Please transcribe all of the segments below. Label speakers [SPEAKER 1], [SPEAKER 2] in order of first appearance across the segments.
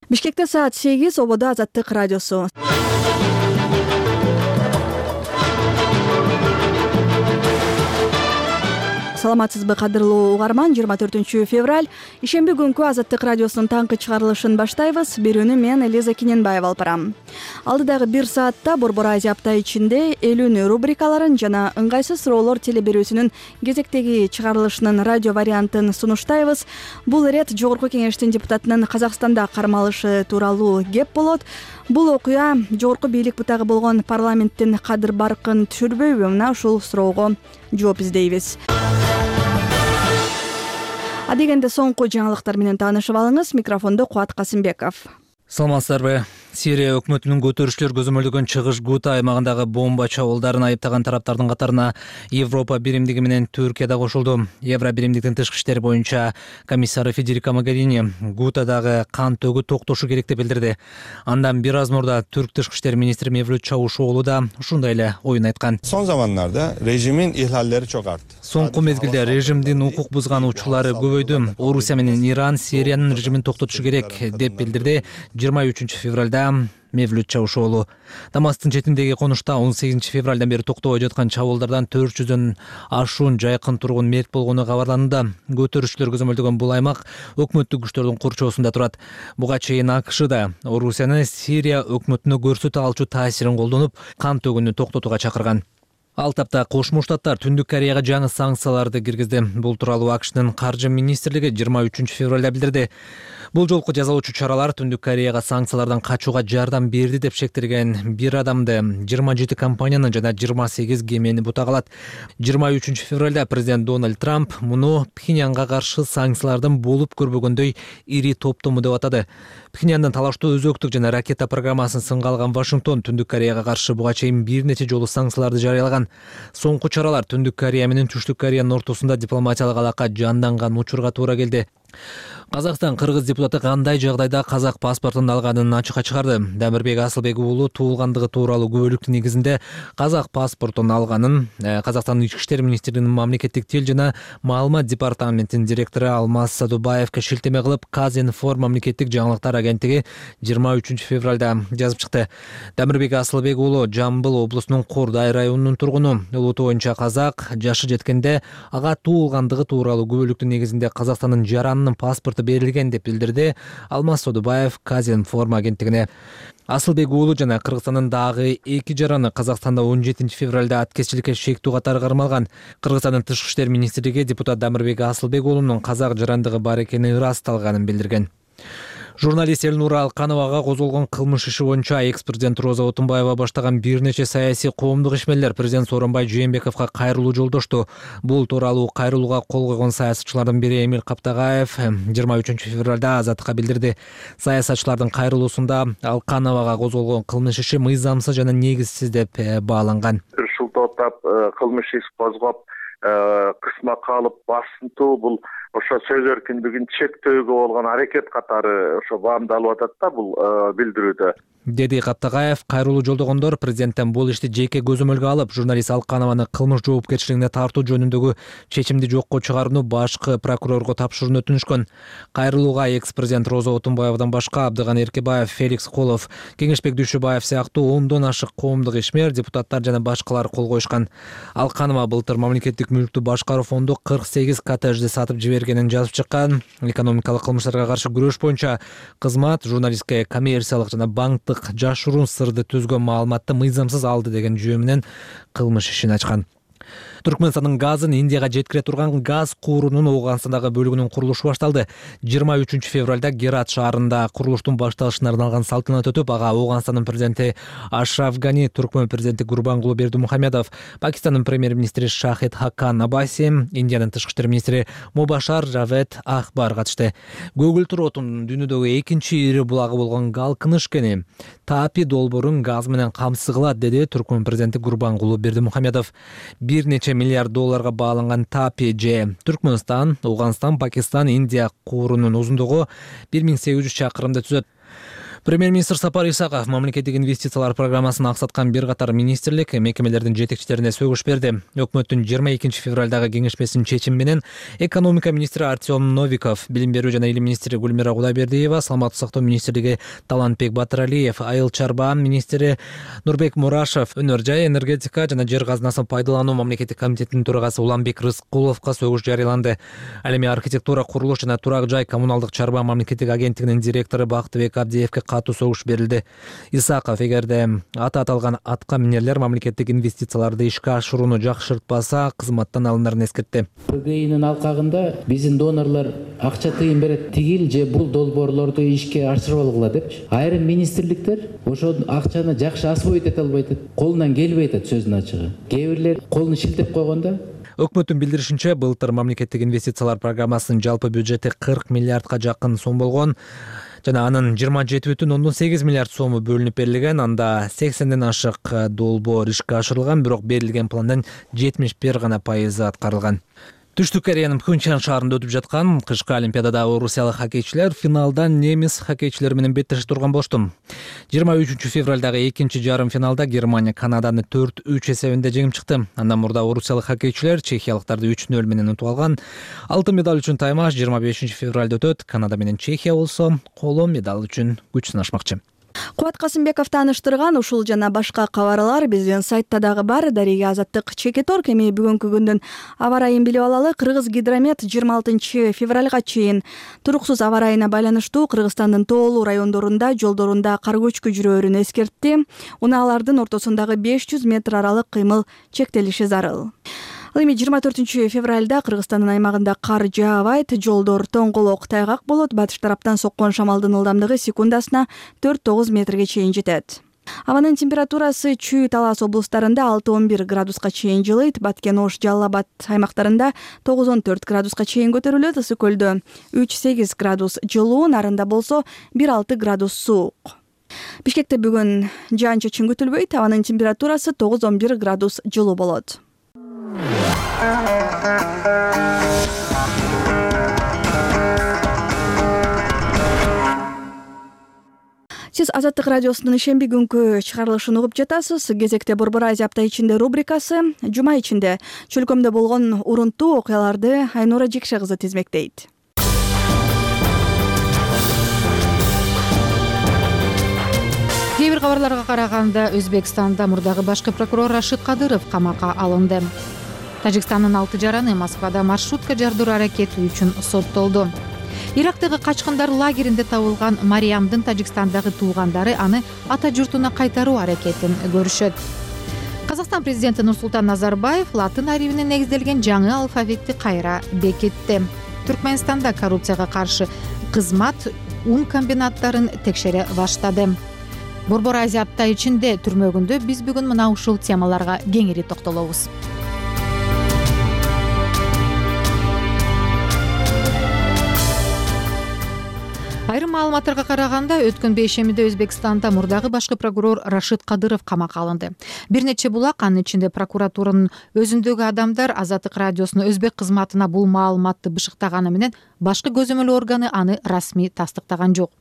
[SPEAKER 1] Бишкекте саат 8, ободо Азаттык радиосу. Саламатсызбы, кадырлуу угарман? 24 февраль ишемби күнкү Азаттык радиосунун таңкы чыгарылышын баштайбыз. Берүүнү мен Элиза Кененбаева алып барам. Алдыдагы 1 саатта Борбор Азия апта ичинде элүүнү рубрикаларын жана ыңгайсыз суроолор телеберүүсүнүн кезектеги чыгарылышынын радио вариантын сунуштайбыз. Бул ирет Жогорку Кеңештин депутатынын Казакстанда кармалышы тууралуу кеп болот. Бул окуя жогорку бийлик бутагы болгон парламенттин кадыр-баркын түшүрбөйбү? Мына ушул суроого жооп издейбиз. Адегенде соңку жаңылыктар менен таанышып алыңыз. Микрофондо Кубат Касымбеков.
[SPEAKER 2] Саламатсыздарбы? Сирия өкмөтүнүн көтөрүшчүлөр көзөмөлдөгөн чыгыш Гута аймагындагы бомба чабуулдарын айыптаган тараптардын катарына Европа биримдиги менен Түркия да кошулду. Евро биримдиктин тышкы иштер боюнча комиссары Федерика Могерини Гутадагы кан төгүү токтошу керек деп билдирди. Андан бир аз мурда Түрк тышкы иштер министри Мевлют Чавушоğlu да ушундай эле оюн айткан.
[SPEAKER 3] Son zamanlarda rejimin ihlalleri çok arttı.
[SPEAKER 2] Соңку мезгилде режимдин укук бузган учурлары көбөйдү. Орусия менен Иран Сириянын режимин токтотушу керек деп билдирди 23 февралда Мевлют Чавушоğlu. Дамастын четиндеги конушта 18 февралдан бери токтобой жаткан чабуулдардан 400дөн ашуун жайкын тургун мерт болгону кабарланды. Көтөрүшчүлөр көзөмөлдөгөн бул аймак өкмөттүк күчтөрдүн курчоосунда турат. Буга чейин АКШ да Орусияны Сирия өкмөтүнө көрсөтө алчу таасирин колдонуп, кан төгүүнү токтотууга чакырган. Ал тапта Кошмо Штаттар Түндүк Кореяга жаңы санкцияларды киргизди. Бул тууралуу АКШнын каржы министрлиги 23 февралда билдирди. Бул жолку жазалоочу чаралар Түндүк Кореяга санкциялардан качууга жардам берди деп шектелген бир адамды, 27 компанияны жана 28 кемени бутагалат. 23 февралда президент Дональд Трамп муну Пхеньянга каршы санкциялардын болуп көрбөгөндөй ири топтому деп атады. Пхеньяндын талаштуу өзөктүк жана ракета программасын сынга алган Вашингтон Түндүк Кореяга каршы буга чейин бир нече жолу санкцияларды жарыялаган. Соңку чаралар Түндүк Корея менен Түштүк Кореянын ортосунда дипломатиялык алака жанданган учурга туура келди. Казакстан кыргыз депутаты кандай жагдайда казак паспортун алганын ачыкка чыгарды. Дамирбек Асылбек уулу туулгандыгы тууралуу күбөлүктүн негизинде казак паспортун алганын Казакстандын ички иштер министрлигинин мамлекеттик тил жана маалымат департаментинин директору Алмаз Садубаевке шилтеме кылып Казинформ мамлекеттик жаңылыктар агенттиги 23 февралда жазып чыкты. Дамирбек Асылбек уулу Жамбыл облусунун Кордай районунун тургуну. Улуту боюнча казак, жашы жеткенде ага туулгандыгы тууралуу күбөлүктүн негизинде Казакстандын жаранынын паспорту берилген деп билдирди Алмаз Садубаев Казинформ агенттигине. Асылбек уулу жана Кыргызстандын дагы 2 жараны Казакстанда 17 февралда аткезчиликке шектүү катары кармалган. Кыргызстандын тышкы иштер министрлиги депутат Дамирбек Асылбек уулунун казак жарандыгы бар экени ырасталганын билдирген. Журналист Элнура Алкановага козголгон кылмыш иши боюнча экс-президент Роза Отунбаева баштаган бир нече саясий коомдук ишмерлер президент Сооронбай Жээнбековго кайрылуу жолдошту. Бул тууралуу кайрылууга кол койгон саясатчылардын бири Эмил Каптагаев 23 февралда Азаттыкка билдирди. Саясатчылардын кайрылуусунда Алкановага козголгон кылмыш иши мыйзамсыз жана негизсиз деп бааланган.
[SPEAKER 4] Ушул топтоп кылмыш иш козгоп, кысма калып басынтуу бул ошо сөз эркиндигин чектөөгө болгон аракет катары ошо баамдалып атат да бул билдирүүдө.
[SPEAKER 2] Деди Каптагаев, кайрылуу жолдогондор президенттен бул ишти жеке көзөмөлгө алып, журналист Алканованы кылмыш жоопкерчилигине тартуу жөнүндөгү чечимди жокко чыгарууну башкы прокурорго тапшырууну өтүнүшкөн. Кайрылууга экс-президент Роза Отунбаевадан башка Абдыган Эркебаев, Феликс Колов, Кеңешбек Дүйшүбаев сыяктуу 10дон ашык коомдук ишмер, депутаттар жана башкалар кол коюшкан. Алканова былтыр мамлекеттик мүлктү башкаруу фонду 48 коттеджди сатып жибергенин жазып чыккан. Экономикалык кылмыштарга каршы күрөш боюнча кызмат журналистке коммерциялык жана банктык жашыруун сырды түзгөн маалыматты мыйзамсыз алды деген жүйө менен кылмыш ишин ачкан. Түркмөнстандын газын Индияга жеткире турган газ куурунун Ооганстандагы бөлүгүнүн курулушу башталды. 23 февралда Герат шаарында курулуштун башталышына арналган салтанат өтүп, ага Ооганстандын президенти Ашраф Гани, Түркмөн президенти Гурбангулы Бердимухамедов, Пакистандын премьер-министри Шахид Хакан Абаси, Индиянын тышкы иштер министри Мубашар Жавед Ахбар катышты. Көгүл Туротун дүйнөдөгү экинчи ири булагы болгон Галкыныш кени Таапи долбоорун газ менен камсыз кылат, деди Түркмөн президенти Гурбангулы Бердимухамедов. Бир нече миллиард долларга бааланган Таапи же Түркмөнстан, Ооганстан, Пакистан, Индия куурунун узундугу 1800 чакырымды түзөт. Премьер-министр Сапар Исаков мамлекеттик инвестициялар программасын аксаткан бир катар министрлик, мекемелердин жетекчилерине сөгүш берди. Өкмөттүн 22 февралдагы кеңешмесинин чечими менен экономика министри Артем Новиков, билим берүү жана илим министри Гүлмира Кудайбердиева, саламаттык сактоо министрлиги Талантбек Батыралиев, айыл чарба министри Нурбек Мурашев, өнөр жай, энергетика жана жер казынасын пайдалануу мамлекеттик комитетинин төрагасы Уланбек Рыскуловго сөгүш жарыяланды. Ал эми архитектура, курулуш жана турак жай коммуналдык чарба мамлекеттик агенттигинин директору Бактыбек Абдиевке катуу согуш берилди. Исаков эгерде аталган атка минерлер мамлекеттик инвестицияларды ишке ашырууну жакшыртпаса, кызматтан алынарын эскертти.
[SPEAKER 5] ПГИнин алкагында биздин донорлор акча тыйын берет, тигил же бул долбоорлорду ишке ашырып алгыла депчи. Айрым министрликтер ошол акчаны жакшы освоить эте албай атат, колунан келбей атат сөздүн ачыгы. Кээ бирлер колун шилтеп койгондо.
[SPEAKER 2] Өкмөттүн билдиришинче, былтыр мамлекеттик инвестициялар программасынын жалпы бюджети 40 миллиардка жакын сом болгон жана анын 27,8 миллиард сому бөлүнүп берилген. Анда 80ден ашык долбоор ишке ашырылган, бирок берилген пландын 71% аткарылган. Түштүк Кореянын Пхенчхан шаарында өтүп жаткан кышкы олимпиадада орусиялык хоккейчилер финалда немис хоккейчилери менен беттешип турган болушту. 23 февралдагы экинчи жарым финалда Германия Канаданы 4-3 эсебинде жеңип чыкты. Андан мурда орусиялык хоккейчилер чехиялыктарды 3-0 менен утуп алган. Алтын медаль үчүн таймаш 25 февралда өтөт. Канада менен Чехия болсо коло медаль үчүн күч сынашмакчы.
[SPEAKER 1] Кубат Касымбеков тааныштырган ушул жана башка кабарлар биздин сайтта дагы бар. Дарига Азаттык Чекеторг. Эми бүгүнкү күндүн аба ырайын билип алалы. Кыргыз гидромет 26 февралга чейин туруксуз аба ырайына байланыштуу Кыргызстандын тоолуу райондорунда жолдорунда кар көчкү жүрөөрүн эскертти. Унаалардын ортосундагы 500 метр аралык кыймыл чектелиши зарыл. Ал эми 24 февралда Кыргызстандын аймагында кар жаабайт, жолдор тоңголок тайгак болот, батыш тараптан соккон шамалдын ылдамдыгы секундасына 4-9 метрге чейин жетет. Абанын температурасы Чүй, Талас облустарында 6-11 градуска чейин жылыйт, Баткен, Ош, Жалал Абад аймактарында 9-14 градуска чейин көтөрүлөт, Ысык көлдө 3-8 градус жылуу, Нарында болсо 1-6 градус суук. Бишкекте бүгүн жаан-чачын күтүлбөйт, абанын температурасы 9-11 градус жылуу болот. Сиз Азаттык радиосунун ишемби күнкү чыгарылышын угуп жатасыз. Кезекте Борбор Азия апта ичинде рубрикасы. Жума ичинде чөлкөмдө болгон урунттуу окуяларды Айнура Жекше кызы тизмектейт.
[SPEAKER 6] Кээ бир кабарларга караганда Өзбекстанда мурдагы башкы прокурор Рашид Кадыров камакка алынды. Тажикстандын 6 жараны Москвада маршрутка жардыруу аракети үчүн соттолду. Ирактагы качкындар лагеринде табылган Мариямдын Тажикстандагы туугандары аны ата журтуна кайтаруу аракетин көрүшөт. Казакстан президенти Нурсултан Назарбаев латын арибине негизделген жаңы алфавитти кайра бекитти. Түркмөнстанда коррупцияга каршы кызмат ун комбинаттарын текшере баштады. Борбор Азия апта ичинде түрмөгүндө биз бүгүн мына ушул темаларга кеңири токтолобуз. Айрым маалыматтарга караганда, өткөн бейшембиде Өзбекстанда мурдагы башкы прокурор Рашид Кадыров камакка алынды. Бир нече булак, анын ичинде прокуратуранын өзүндөгү адамдар Азаттык радиосунун өзбек кызматына бул маалыматты бышыктаганы менен башкы көзөмөл органы аны расмий тастыктаган жок.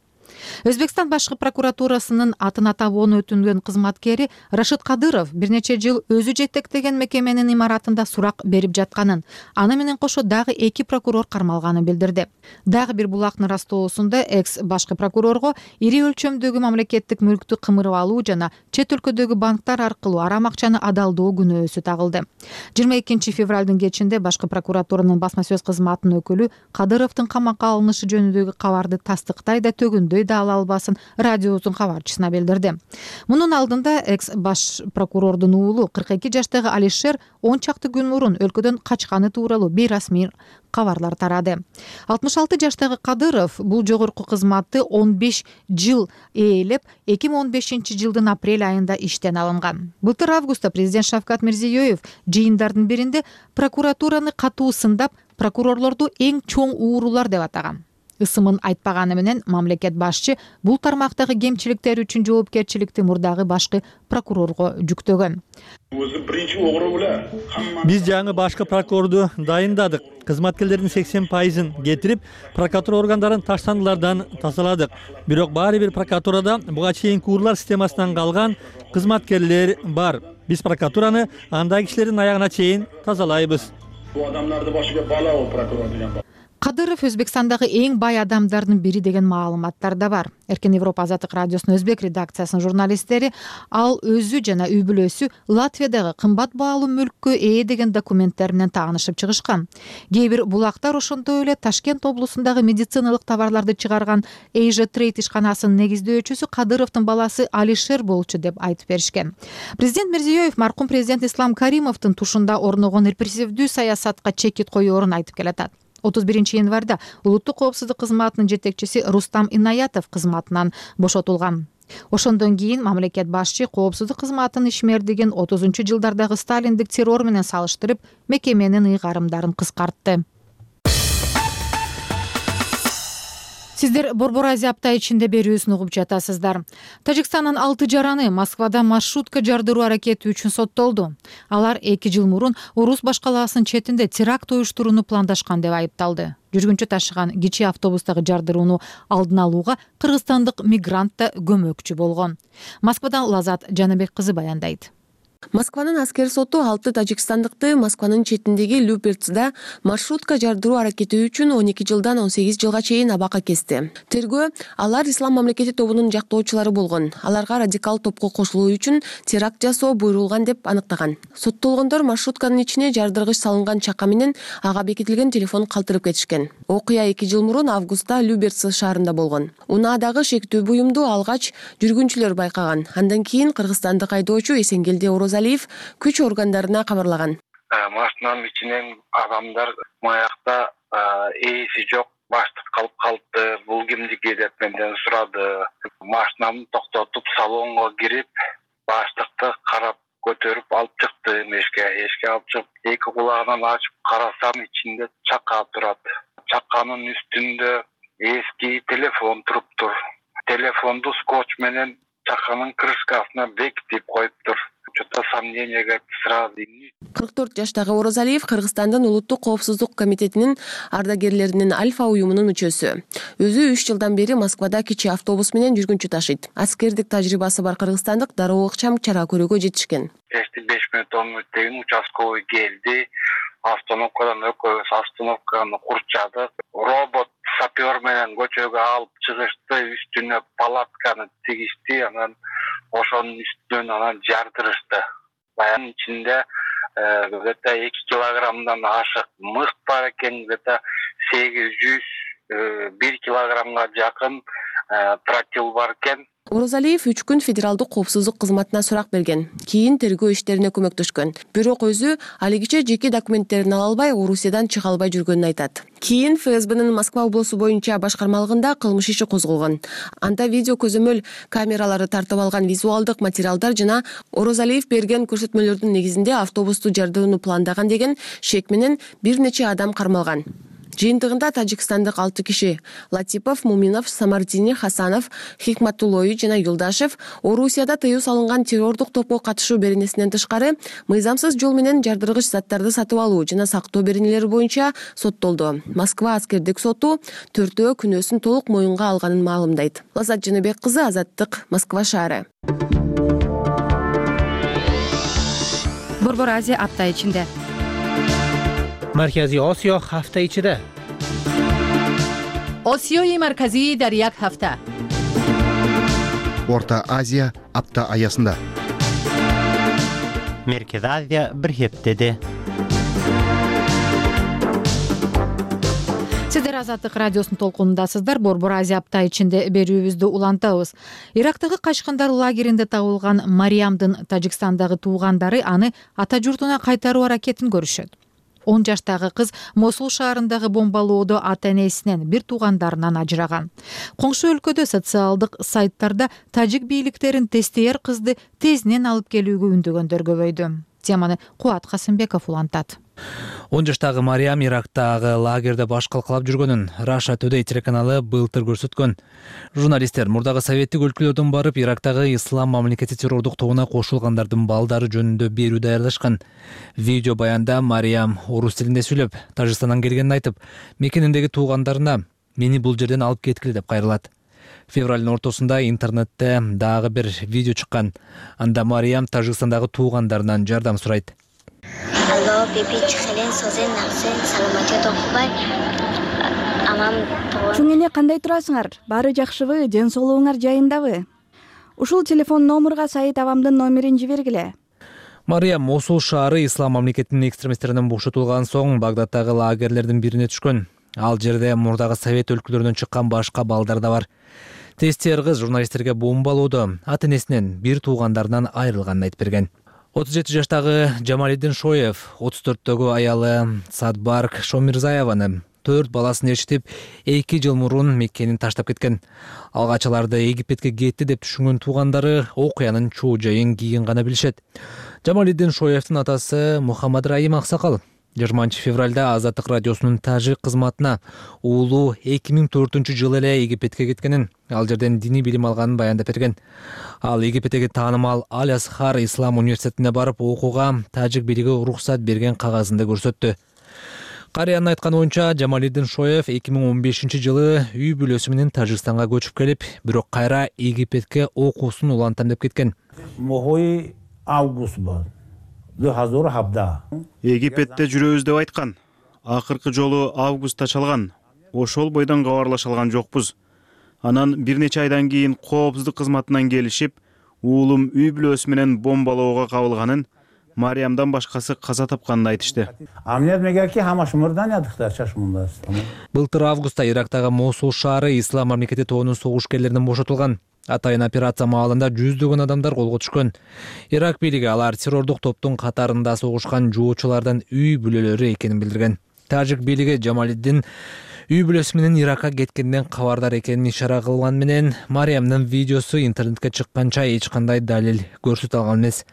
[SPEAKER 6] Өзбекстан башкы прокуратурасынын атын атабоону өтүнгөн кызматкери Рашид Кадыров бир нече жыл өзү жетектеген мекеменин имаратында сурак берип жатканын, аны менен кошо дагы 2 прокурор кармалганын билдирди. Дагы бир булактын растоосунда экс башкы прокурорго ири өлчөмдөгү мамлекеттик мүлктү кымырып алуу жана чет өлкөдөгү банктар аркылуу арам акчаны адалдоо күнөөсү тагылды. 22 февралдын кечинде башкы прокуратуранын басма сөз кызматынын өкүлү Кадыровдун камакка алынышы жөнүндөгү кабарды тастыктай да төгүндөй да ала албасын радиосунун кабарчысына билдирди. Мунун алдында экс баш прокурордун уулу 42 жаштагы Алишер 10 чакты күн мурун өлкөдөн качканы тууралуу бейрасмий кабарлар тарады. 66 жаштагы Кадыров бул жогорку кызматты 15 жыл ээлеп, 2015 жылдын апрель айында иштен алынган. Былтыр августта президент Шавкат Мирзиёев жыйындардын биринде прокуратураны катуу сындап, прокурорлорду эң чоң уурулар деп атаган. ысымын айтпаганы менен мамлекет башчы бул тармактагы кемчиликтер үчүн жоопкерчиликти мурдагы башкы прокурорго жүктөгөн.
[SPEAKER 7] Биз жаңы башкы прокурорду дайындадык. Кызматкерлердин 80%-ын кетирип, прокуратура органдарын таштандылардан тазаладык. Бирок баары бир прокуратурада буга чейинки урлар системасынан калган кызматкерлер бар. Биз прокуратураны андай кишилердин аягына чейин тазалайбыз.
[SPEAKER 8] Бул адамдарды башыга бала о прокурор деген.
[SPEAKER 6] Кадыров Өзбекстандагы эң бай адамдардын бири деген маалыматтар да бар. Эркен Европа Азаттык радиосунун өзбек редакциясынын журналисттери ал өзү жана үй бүлөсү Латвиядагы кымбат баалуу мүлккө ээ деген документтер менен таанышып чыгышкан. Кээ бир булактар ошондой эле Ташкент облусундагы медициналык товарларды чыгарган Asia Trade ишканасынын негиздөөчүсү Кадыровдун баласы Алишер болчу деп айтып беришкен. Президент Мирзиёев маркум президент Ислам Каримовдун тушунда орногон репрессивдүү саясатка чекит коёрун айтып келатат. 31 январда улуттук коопсуздук кызматынын жетекчиси Рустам Инаятов кызматынан бошотулган. Ошондон кийин мамлекет башчы коопсуздук кызматынын ишмердигин 30-жылдардагы сталиндик террор менен салыштырып, мекеменин ыйгарымдарын кыскартты. Сиздер Борбор Азия апта ичинде берүүсүн угуп жатасыздар. Тажикстандын 6 жараны Москвада маршрутка жардыруу аракети үчүн соттолду. Алар 2 жыл мурун Орус башкалаасынын четинде теракт уюштурууну пландашкан деп айыпталды. Жүргүнчү ташыган кичи автобустагы жардырууну алдын алууга кыргызстандык мигрант да көмөкчү болгон. Москвадан Лазат Жаныбек кызы баяндайт.
[SPEAKER 9] Москванын аскер соту 6 тажикстандыкты Москванын четиндеги Люберцда маршрутка жардыруу аракети үчүн 12 жылдан 18 жылга чейин абакка кести. Тергөө алар ислам мамлекети тобунун жактоочулары болгон. Аларга радикал топко кошулуу үчүн теракт жасоо буйрулган деп аныктаган. Соттолгондор маршрутканын ичине жардыргыч салынган чака менен ага бекитилген телефон калтырып кетишкен. Окуя 2 жыл мурун августта Люберц шаарында болгон. Унаадагы шектүү буюмду алгач жүргүнчүлөр байкаган. Андан кийин кыргызстандык айдоочу Эсенгелди Орозалиев күч органдарына кабарлаган.
[SPEAKER 4] Машинанын ичинен адамдар маякта ээси жок, баштык калып калды. Бул кимдики деп менден сурады. Машинамды токтотуп салонго кирип, баштыкты карап көтөрүп алып чыкты. Эшикке алып чыгып, эки кулагынан ачып карасам, ичинде чака турат. Чаканын үстүндө эски телефон туруптур. Телефонду скотч менен чаканын крышкасына бекитип коюптур. Что-то сомненияга сразу.
[SPEAKER 9] 44 жаштагы Орозалиев Кыргызстандын улуттук коопсуздук комитетинин ардагерлеринин Альфа уюмунун мүчөсү. Өзү 3 жылдан бери Москвада кичи автобус менен жүргүнчү ташыйт. Аскердик тажрыйбасы бар кыргызстандык дароо ыкчам чара көрүүгө жетишкен.
[SPEAKER 4] 5 мүнөт 10 мүнөттөн участковый келди. Остановкадан экөөбүз остановканы курчадык. Робот сапер менен көчөгө алып чыгышты, үстүнө палатканы тигишти, анан ошонун үстүнөн анан жардырышты. Баянын ичинде где-то 2 килограммдан ашык мыс бар экен, где-то 800-1 килограммга жакын тротил бар экен.
[SPEAKER 9] Орозалиев 3 күн федералдык коопсуздук кызматына сурак берген. Кийин тергөө иштерине көмөктөшкөн. Бирок өзү алигиче жеке документтерин ала албай, Орусиядан чыга албай жүргөнүн айтат. Кийин ФСБнын Москва облусу боюнча башкармалыгында кылмыш иши козголгон. Анда видео көзөмөл камералары тартып алган визуалдык материалдар жана Орозалиев берген көрсөтмөлөрдүн негизинде автобусту жардырууну пландаган деген шек менен бир нече адам кармалган. Жыйынтыгында тажикстандык 6 киши Латипов, Муминов, Самардини, Хасанов, Хикматуллой жана Юлдашев Орусияда тыюу салынган террордук топко катышуу беренесинен тышкары мыйзамсыз жол менен жардыргыч заттарды сатып алуу жана сактоо беренелери боюнча соттолду. Москва аскердик соту 4 күнөөсүн толук моюнга алганын маалымдайт. Лазат Жаныбек кызы, Азаттык, Москва шаары.
[SPEAKER 10] Борбор Азия апта ичинде.
[SPEAKER 2] Маркази Осиё ҳафта ичида.
[SPEAKER 10] Осиёи марказӣ дар як ҳафта.
[SPEAKER 11] Орта Азия апта аясында.
[SPEAKER 12] Merkezi Азия bir heftede.
[SPEAKER 6] Сиздер Азаттык радиосунун толкунундасыздар. Борбор Азия апта ичинде берүүбүздү улантабыз. Ирактагы качкындар лагеринде табылган Мариямдын Тажикстандагы туугандары аны ата журтуна кайтаруу аракетин көрүшөт. 10 жаштагы кыз Мосул шаарындагы бомбалоодо ата-энесинен бир туугандарынан ажыраган. Коңшу өлкөдө социалдык сайттарда тажик бийликтерин тестейер кызды тезинен алып келүүгө үндөгөндөр көбөйдү. Теманы Куат Касымбеков улантат.
[SPEAKER 2] 10 жаштагы Мариям Ирактагы лагерде баш калкалап жүргөнүн Russia Today телеканалы былтыр көрсөткөн. Журналисттер мурдагы советтик өлкөлөрдөн барып Ирактагы ислам мамлекети террордук тобуна кошулгандардын балдары жөнүндө берүү даярдашкан. Видео баянда Мариям орус тилинде сүйлөп, Тажикстандан келгенин айтып, мекениндеги туугандарына мени бул жерден алып кеткиле деп кайрылат. Февралдын ортосунда интернетте дагы бир видео чыккан. Анда Мариям Тажикстандагы туугандарынан жардам сурайт.
[SPEAKER 1] Чуңене кандай турасыңар? Баары жакшыбы? Ден соолугуңар жайындабы? Ушул телефон номурга Саид абамдын номерин жибергиле.
[SPEAKER 2] Мариям Мосул шаары ислам мамлекетинин экстремисттеринен бошотулган соң Багдадтагы лагерлердин бирине түшкөн. Ал жерде мурдагы совет өлкөлөрүнөн чыккан башка балдар да бар. Тестер кыз журналисттерге бомбалоодо ата-энесинен бир туугандарынан айрылганын айтып берген. 37 жаштагы Жамалиддин Шоев 34-төгү аялы Садбарк Шомирзаеваны 4 баласын ээрчитип 2 жыл мурун мекенин таштап кеткен. Алгач аларды Египетке кетти деп түшүнгөн туугандары окуянын чоо жайын кийин гана билишет. Жамалиддин Шоевдин атасы Мухаммад Раим Аксакал 20 февралда Азаттык радиосунун тажик кызматына уулу 2004-жылы эле Египетке кеткенин, ал жерден диний билим алганын баяндап берген. Ал Египеттеги таанымал Аль-Асхар ислам университетине барып окууга тажик бийлиги уруксат берген кагазында көрсөттү. Карыянын айтканы боюнча Жамалиддин Шоев 2015-жылы үй бүлөсү менен Тажикстанга көчүп келип, бирок кайра Египетке окуусун улантам деп кеткен.
[SPEAKER 11] Египетте жүрөбүз деп айткан. Акыркы жолу августта чалган. Ошол бойдон кабарлаша алган жокпуз. Анан бир нече айдан кийин коопсуздук кызматынан келишип, уулум үй бүлөсү менен бомбалоого кабылганын, Мариямдан башкасы каза тапканын айтышты.
[SPEAKER 2] Былтыр августта Ирактагы Мосул шаары ислам мамлекети тобунун согушкерлеринен бошотулган. Атайын операция маалында жүздөгөн адамдар колго түшкөн. Ирак бийлиги алар террордук топтун катарында согушкан жоочулардан үй бүлөлөрү экенин билдирген. Тажик бийлиги Жамалиддин үй бүлөсү менен Иракка кеткенден кабардар экенин ишара кылган менен Мариямдын видеосу интернетке чыкканча эч кандай далил көрсөтө алган эмес.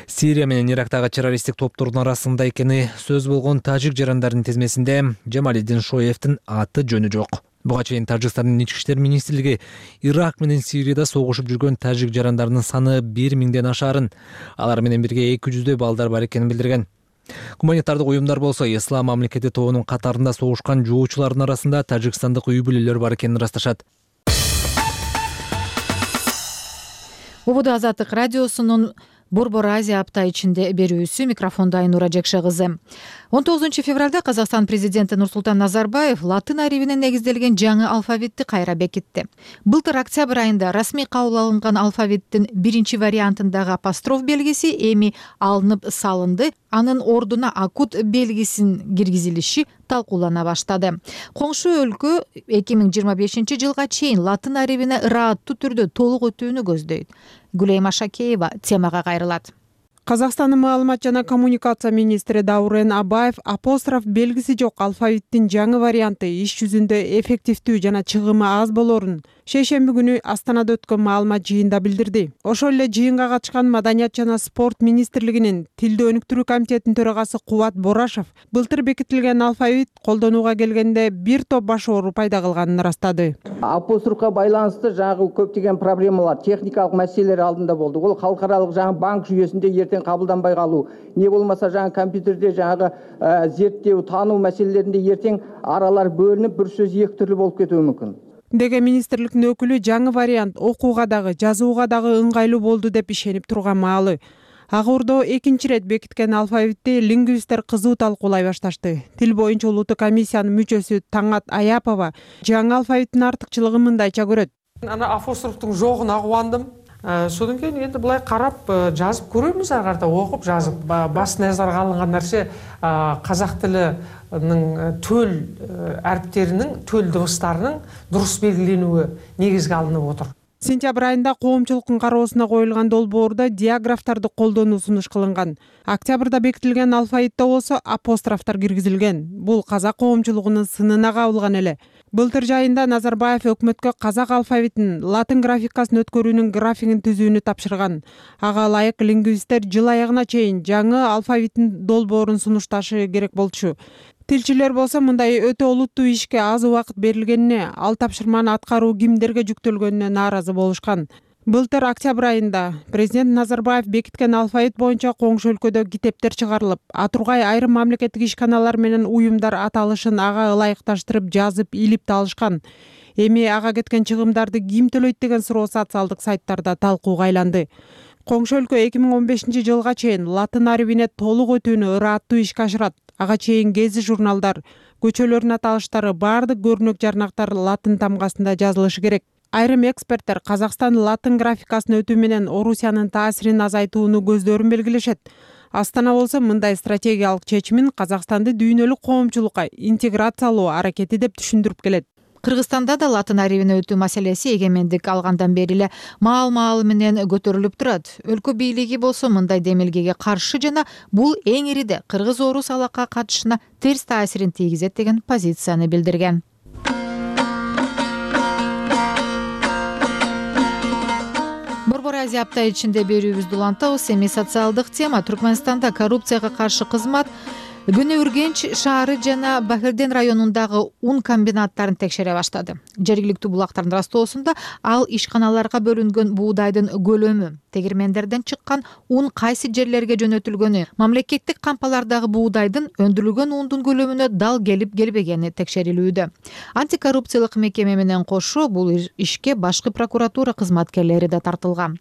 [SPEAKER 2] Сирия менен Ирактагы террористтик топтордун арасында экени сөз болгон тажик жарандардын тизмесинде Жамалиддин Шоевдин аты жөнү жок. Буга чейин Тажикстандын ички иштер министрлиги Ирак менен Сирияда согушуп жүргөн тажик жарандарынын саны 1000ден ашаарын, алар менен бирге 200дөй балдар бар экенин билдирген. Гуманитардык уюмдар болсо ислам мамлекети тобунун катарында согушкан жоочулардын арасында тажикстандык үй бүлөлөр бар экенин ырасташат.
[SPEAKER 6] Убуду Азаттык радиосунун Борбор Азия апта ичинде берүүсү, микрофондо Айнура Жекше кызы. 19 февралда Казакстан президенти Нурсултан Назарбаев латын арибине негизделген жаңы алфавитти кайра бекитти. Былтыр октябрь айында расмий кабыл алынган алфавиттин биринчи вариантындагы апостроф белгиси эми алынып салынды. Анын ордуна акут белгисин киргизилиши талкуулана баштады. Коңшу өлкө 2025-жылга чейин латын арибине ырааттуу түрдө толук өтүүнү көздөйт. Гүлейма Шакеева темага кайрылат.
[SPEAKER 13] Казакстандын маалымат жана коммуникация министри Даурен Абаев апостроф белгиси жок алфавиттин жаңы варианты иш жүзүндө эффективдүү жана чыгымы аз болорун шейшемби күнү Астанада өткөн маалымат жыйында билдирди. Ошол эле жыйынга катышкан Маданият жана спорт министрлигинин тилди өнүктүрүү комитетинин төрагасы Кубат Борашев былтыр бекитилген алфавит колдонууга келгенде бир топ баш оору пайда кылганын ырастады.
[SPEAKER 14] Апострофко байланыштуу жаңы көптөгөн проблемалар, техникалык маселелер алдында болду. Бул халкаралык жаңы банк жүйөсүндө эртең кабылданбай калуу, не болмаса жаңы компьютерде жаңы зерттөө, таануу маселелеринде эртең аралар бөлүнүп, бир сөз эки түрлүү болуп кетүү мүмкүн
[SPEAKER 13] деген министрликтин өкүлү жаңы вариант окууга дагы, жазууга дагы ыңгайлуу болду деп ишенип турган маалы. Ак Ордо экинчи ирет бекиткен алфавитти лингвисттер кызуу талкуулай башташты. Тил боюнча улуттук комиссиянын мүчөсү Таңат Аяпова жаңы алфавиттин артыкчылыгын мындайча көрөт.
[SPEAKER 15] Ана апострофтун жогуна кубандым. Содан кейін енді былай қарап жазып көреміз, ары қарата оқып жазып. Бас назарга алынган нәрсе қазақ тілінің төл әріптерінің, төл дыбыстарының дұрыс белгіленуі негізге алынып отыр.
[SPEAKER 13] Сентябрь айында коомчулуктун кароосуна коюлган долбоордо диаграфтарды колдонуу сунуш кылынган. Октябрда бекитилген алфавитте болсо апострофтор киргизилген. Бул казак коомчулугунун сынына кабылган эле. Былтыр жайында Назарбаев өкмөткө казак алфавитин, латын графикасын өткөрүүнүн графигин түзүүнү тапшырган. Ага ылайык лингвисттер жыл аягына чейин жаңы алфавиттин долбоорун сунушташы керек болчу. Тилчилер болсо мындай өтө олуттуу ишке аз убакыт берилгенине, ал тапшырманы аткаруу кимдерге жүктөлгөнүнө нааразы болушкан. Былтыр октябрь айында президент Назарбаев бекиткен алфавит боюнча коңшу өлкөдө китептер чыгарылып, Атургай айрым мамлекеттик ишканалар менен уюмдар аталышын ага ылайыкташтырып жазып, илип алышкан. Эми ага кеткен чыгымдарды ким төлөйт деген суроо социалдык сайттарда талкууга айланды. Коңшу өлкө 2015-жылга чейин латын арабине толук өтүүнү ырааттуу ишке ашырат. Ага чейин гези журналдар, көчөлөрдүн аталыштары, баардык көрүнөк жарнактар латын тамгасында жазылышы керек. Айрым эксперттер Казакстан латын графикасын өтүү менен Орусиянын таасирин азайтууну көздөрүн белгилешет. Астана болсо мындай стратегиялык чечимин Казакстанды дүйнөлүк коомчулукка интеграциялоо аракети деп түшүндүрүп келет.
[SPEAKER 6] Кыргызстанда да латын арабине өтүү маселеси эгемендик алгандан бери эле маал менен көтөрүлүп турат. Өлкө бийлиги болсо мындай демилгеге каршы жана бул эң ириде кыргыз-орус алака катышына терс таасирин тийгизет деген позицияны билдирген. Борбор Азия апта ичинде берүүбүздү улантабыз. Эми социалдык тема. Түркмөнстанда коррупцияга каршы кызмат Күнү Үргенч шаары жана Бахирден районундагы ун комбинаттарын текшере баштады. Жергиликтүү булактардын растоосунда ал ишканаларга бөлүнгөн буудайдын көлөмү, тегирмендерден чыккан ун кайсы жерлерге жөнөтүлгөнү, мамлекеттик кампалардагы буудайдын өндүрүлгөн ундун көлөмүнө дал келип-келбегени текшерилүүдө. Антикоррупциялык мекеме менен кошо бул ишке башкы прокуратура кызматкерлери да тартылган.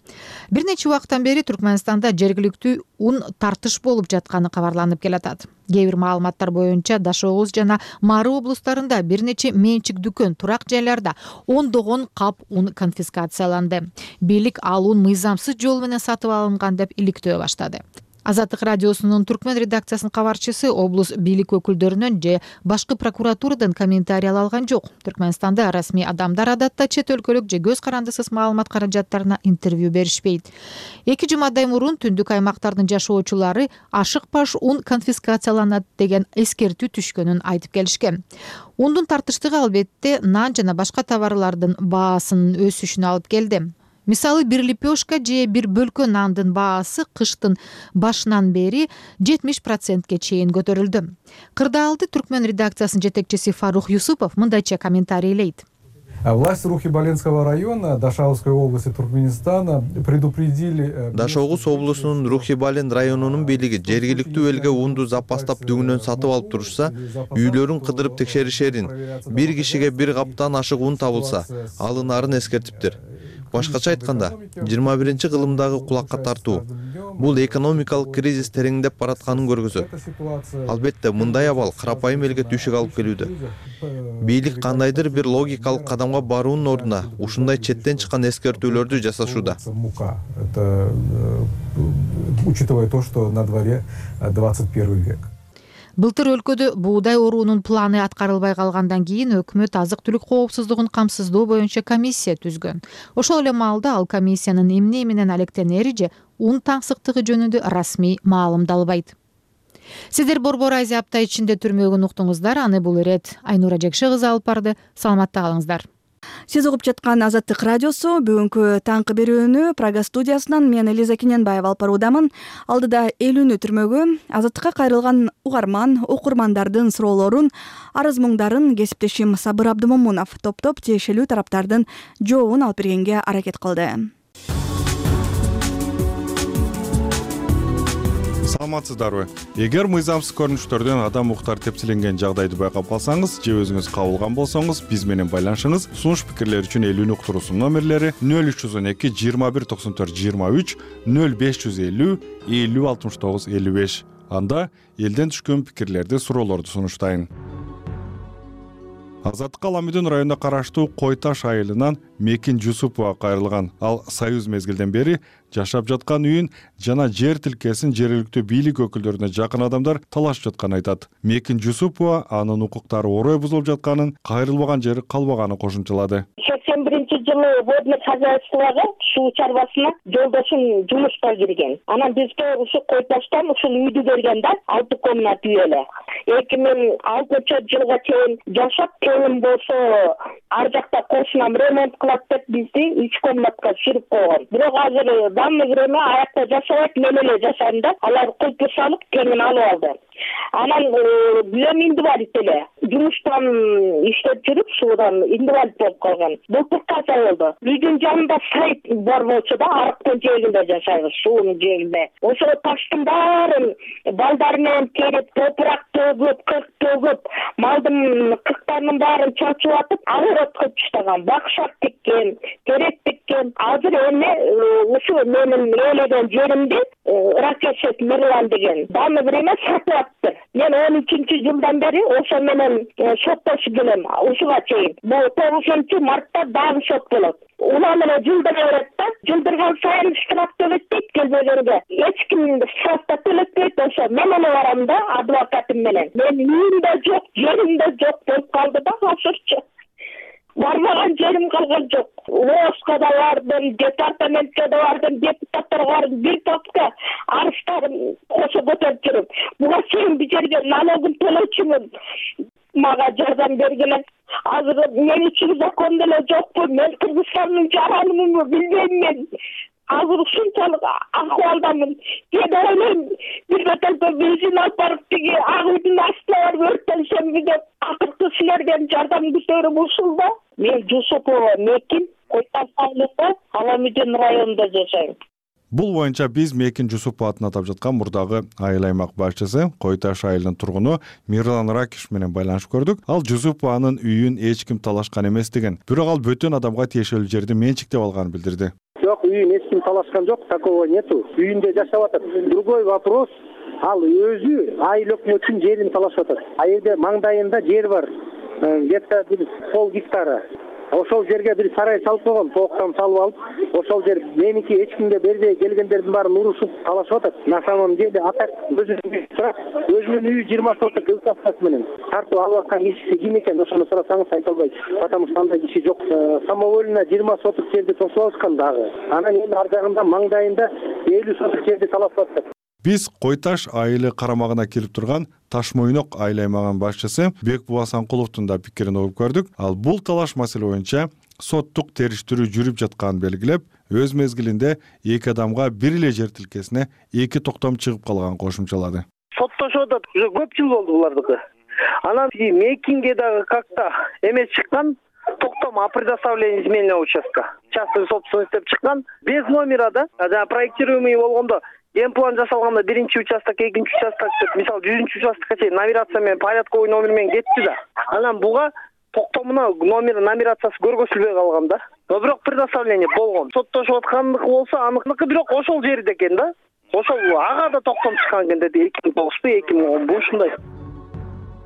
[SPEAKER 6] Бир нече убакыттан бери Түркмөнстанда жергиликтүү ун тартыш болуп жатканы кабарланып келатат. Кээ бир маалыматтар боюнча Даш Оғуз жана Мары облустарында бир нече менчик дүкөн, турак жайларда ондогон кап ун конфискацияланды. Бийлик ал ун мыйзамсыз жол менен сатып алынган деп иликтөө баштады. Азаттык радиосунун түркмөн редакциясынын кабарчысы облус бийлик өкүлдөрүнөн же башкы прокуратурадан комментарий ала алган жок. Түркмөнстанда расмий адамдар адатта чет өлкөлүк же көз карандысыз маалымат каражаттарына интервью беришпейт. 2 жумадай мурун түндүк аймактардын жашоочулары ашыкпаш ун конфискацияланат деген эскертүү түшкөнүн айтып келишкен. Ундун тартыштыгы албетте нан жана башка товарлардын баасынын өсүшүнө алып келди. Мисалы, бир лепешка же бир бөлкө нандын баасы кыштын башынан бери 70%ке чейин көтөрүлдү. Кырдаалды түркмөн редакциясынын жетекчиси Фарух Юсупов мындайча комментарийлейт.
[SPEAKER 16] Власти Рухи-Баленского района Дашаугской области Туркменистана предупредили.
[SPEAKER 17] Дашаугус облусунун Рухи-Бален районунун бийлиги жергиликтүү элге унду запастап дүңүнөн сатып алып турушса, үйлөрүн кыдырып текшеришерин, бир кишиге бир каптан ашык ун табылса, алынарын эскертиптир. Башкача айтканда, 21 кылымдагы кулакка тартуу бул экономикалык кризис тереңдеп баратканын көргөзөт. Албетте, мындай абал карапайым элге түйшүк алып келүүдө. Бийлик кандайдыр бир логикалык кадамга баруунун ордуна ушундай четтен чыккан эскертүүлөрдү жасашууда.
[SPEAKER 16] Учитывая то, что на дворе 21 век.
[SPEAKER 6] Былтыр өлкөдө буудай оруунун планы аткарылбай калгандан кийин өкмөт азык-түлүк коопсуздугун камсыздоо боюнча комиссия түзгөн. Ошол эле маалда ал комиссиянын эмне менен алектенери же ун таңсыктыгы жөнүндө расмий маалымдалбайт. Сиздер Борбор Азия апта ичинде түрмөгүн уктуңуздар. Аны бул ирет Айнура Жекше кызы алып барды. Саламатта калыңыздар.
[SPEAKER 1] Сиз угуп жаткан Азаттык радиосу. Бүгүнкү таңкы берүүнү Прага студиясынан мен Элиза Киненбаева алып баруудамын. Алдыда 50 түрмөгү Азаттыкка кайрылган угарман, окурмандардын суроолорун, арыз муңдарын кесиптешим Сабыр Абдымомунов топтоп тиешелүү тараптардын жообун алып бергенге аракет кылды.
[SPEAKER 3] Саламатсыздарбы? Эгер мыйзамсыз көрүнүштөрдөн адам укуктары тепселенген жагдайды байкап калсаңыз же өзүңүз кабылган болсоңуз, биз менен байланышыңыз. Сунуш пикирлер үчүн 50 уктуруусунун номерлери 0312 21 94 23 0550 50 69 55. Анда элден түшкөн пикирлерди, суроолорду сунуштайын. Азаттыкка Ала Мүдүн районуна караштуу Кой Таш айылынан Мекин Жусупова кайрылган. Ал союз мезгилден бери жашап жаткан үйүн жана жер тилкесин жергиликтүү бийлик өкүлдөрүнө жакын адамдар талашып жатканын айтат. Мекин Жусупова анын укуктары орой бузулуп жатканын, кайрылбаган жери калбаганын кошумчалады.
[SPEAKER 18] 81-жылы водный хозяйствого суу чарбасына жолдошум жумушка кирген. Анан бизге ушу Кой Таштан ушул үйдү берген да, 6 комнат үй эле. 2006-жылга чейин жашап, келин болсо ар жакта кошунам ремонт кылат деп бизди 3 комнатка түшүрүп койгон. Бирок азыр данный время аякта жашабайт, мен эле жашайм да. Алар кулпу салып, келин алып алды. Анан билем инвалид эле. Жумуштан иштеп жүрүп, суудан инвалид болуп калган. Былтыр каза болду. Үйдүн жанында сайт бар болчу да, арыктын жээгинде жашайбыз, суунун жээгинде. Ошо таштын баарын балдар менен терип, топурак төгүп, кырк төгүп, малдын кырктарынын баарын чачып атып, огород кылып таштаган. Бакшак тиккен, терек тиккен. Азыр эми ушу менин ээлеген жеримди Ракешев Мирлан деген данный время сатып атты. Мен 13-жылдан бери ошо менен соттошуп келем, ушуга чейин. Бул 9-мартта дагы сот болот. Уна менен жылдыра берет да, жылдырган сайын штраф төлөйт дейт келбегенге. Эч ким штрафты төлөтпөйт, ошо мен эле барам да адвокатым менен. Мен үйүм да жок, жерим да жок болуп калды да азырчы. Бармаган жерим калган жок. ООСка да бардым, департаментке да бардым, депутаттарга бардым, бир топка арыздарым кошо көтөрүп жүрүп. Буга чейин бир жерге налогун төлөчүмүн. Мага жардам бергиле. Азыр мен үчүн закон деле жокпу. Мен Кыргызстандын жаранымын, билбейм мен. Азыр ушунчалык акыбалдамын. Мен ойлойм, бир бетелге бензин алып барып тиги ак үйдүн астына барып өрттөнсөм деп акыркы силерден жардам күтөрүм ушул да. Мен Жусупова Мекин, Кой Таш айылында, Ала Мүдүн районунда жашайм.
[SPEAKER 3] Бул боюнча биз Мекин Жусуповдун атап жаткан мурдагы айыл аймак башчысы Кой Таш айылынын тургуну Мирлан Ракиш менен байланышып көрдүк. Ал Жусупованын үйүн эч ким талашкан эмес деген. Бирок ал бөтөн адамга тиешелүү жерди менчиктеп алганын билдирди.
[SPEAKER 19] Жок, үйүн эч ким талашкан жок, такого нету. Үйүндө жашап атат. Другой вопрос, ал өзү айыл өкмөтүнүн жерин талашып атат. А жерде маңдайында жер бар. Где-то бир пол гектара. Ошол жерге бир сарай салып койгон, токтом салып алып, ошол жер меники эч кимге бербей келгендердин баарын урушуп талашып атат. На самом деле атак өзүнүн үйү 20 соток участкасы менен тартып алып аткан кишиси ким экен, ошону сурасаңыз айта албайт. Потому что андай киши жок. Самовольно 20 соток жерди тосуп алышкан дагы. Анан эми ар жагында маңдайында 50 соток жерди талашып атат.
[SPEAKER 3] Биз Кой Таш айылы карамагына кирип турган Ташмойнок айыл аймагынын башчысы Бекбула Санкуловдун да пикирин угуп көрдүк. Ал бул талаш маселе боюнча соттук териштирүү жүрүп жатканын белгилеп, өз мезгилинде эки адамга бир эле жер тилкесине 2 токтом чыгып калганын кошумчалады.
[SPEAKER 19] Соттошуп атат, уже көп жыл болду булардыкы. Анан Мекинге дагы как-то эме чыккан, токтом о предоставлении земельного участка. Частный собственность деп чыккан, без номера да. Жана проектируемый болгондо генплан жасалганда биринчи участок, экинчи участок деп, мисалы 100-чү участокко чейин номерация менен порядковый номер менен кетти да. Анан буга токтомуна номерациясы көргөзүлбөй калган да. Но бирок предоставление болгон. Соттошуп аткандыкы болсо аныкы бирок ошол жерде экен да. Ошол ага да токтом чыккан экен деди 2009-бу, 2010-бу ушундай.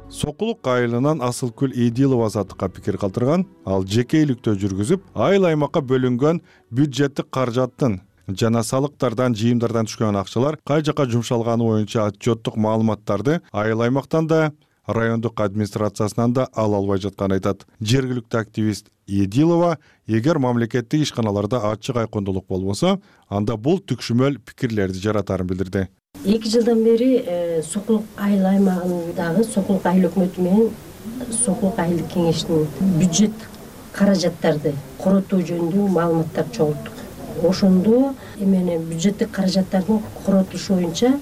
[SPEAKER 3] Сокулук айылынан Асылкүл Эдилова азаттыкка пикир калтырган. Ал жеке иликтөө жүргүзүп, айыл аймакка бөлүнгөн бюджеттик каражаттын жана салыктардан, жыйымдардан түшкөн акчалар кай жака жумшалганы боюнча отчеттук маалыматтарды айыл аймактан да, райондук администрациясынан да ала албай жатканын айтат. Жергиликтүү активист Эдилова, эгер мамлекеттик ишканаларда ачык айкындуулук болбосо, анда бул түкшүмөл пикирлерди жаратарын билдирди.
[SPEAKER 20] 2 жылдан бери Сокулук айыл аймагындагы Сокулук айыл өкмөтү менен Сокулук айылдык кеңештин бюджет каражаттарды коротуу жөнүндө маалыматтар чогулттук. Ошондо эмени бюджеттик каражаттардын коротулушу боюнча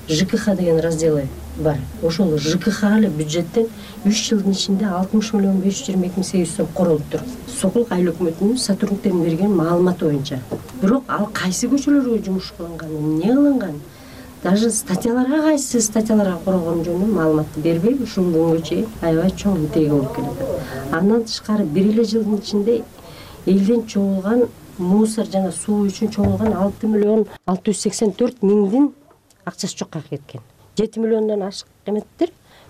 [SPEAKER 20] ЖКХ деген разделы бар. Ошол ЖКХ эле бюджеттен 3 жылдын ичинде 60 миллион 522 800 сом королуптур. Сокулук айыл өкмөтүнүн сотрудниктерин берген маалыматы боюнча. Бирок ал кайсы көчөлөргө жумуш кылынган, эмне кылынган, даже статьяларга кайсы статьяларга корогон жөнүндө маалыматты бербей ушул күнгө чейин аябай чоң митеги болуп келет. Андан тышкары бир эле жылдын ичинде элден чогулган мусор жана суу үчүн чогулган 6 миллион 684 миңдин акчасы жокко кеткен. 7 миллиондон ашык эметтир,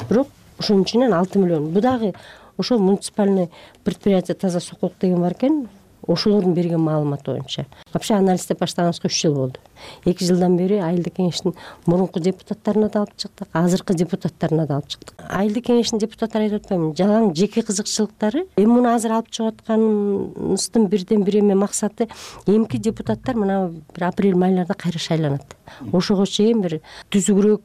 [SPEAKER 20] бирок ошонун ичинен 6 миллион. Бу дагы ошол муниципальный предприятие таза сокулук деген бар экен, ошолордун берген маалыматы боюнча. Вообще анализ деп баштаганыбызга 3 жыл болду. 2 жылдан бери айылдык кеңештин мурунку депутаттарына да алып чыктык, азыркы депутаттарына да алып чыктык. Айылдык кеңештин депутаттары айтып атпаймынбы, жалаң жеке кызыкчылыктары. Эми муну азыр алып чыгып атканыбыздын бирден бир эме максаты, эмки депутаттар мына бир апрель айларда кайра шайланат. Ошого чейин бир түзүгүрөөк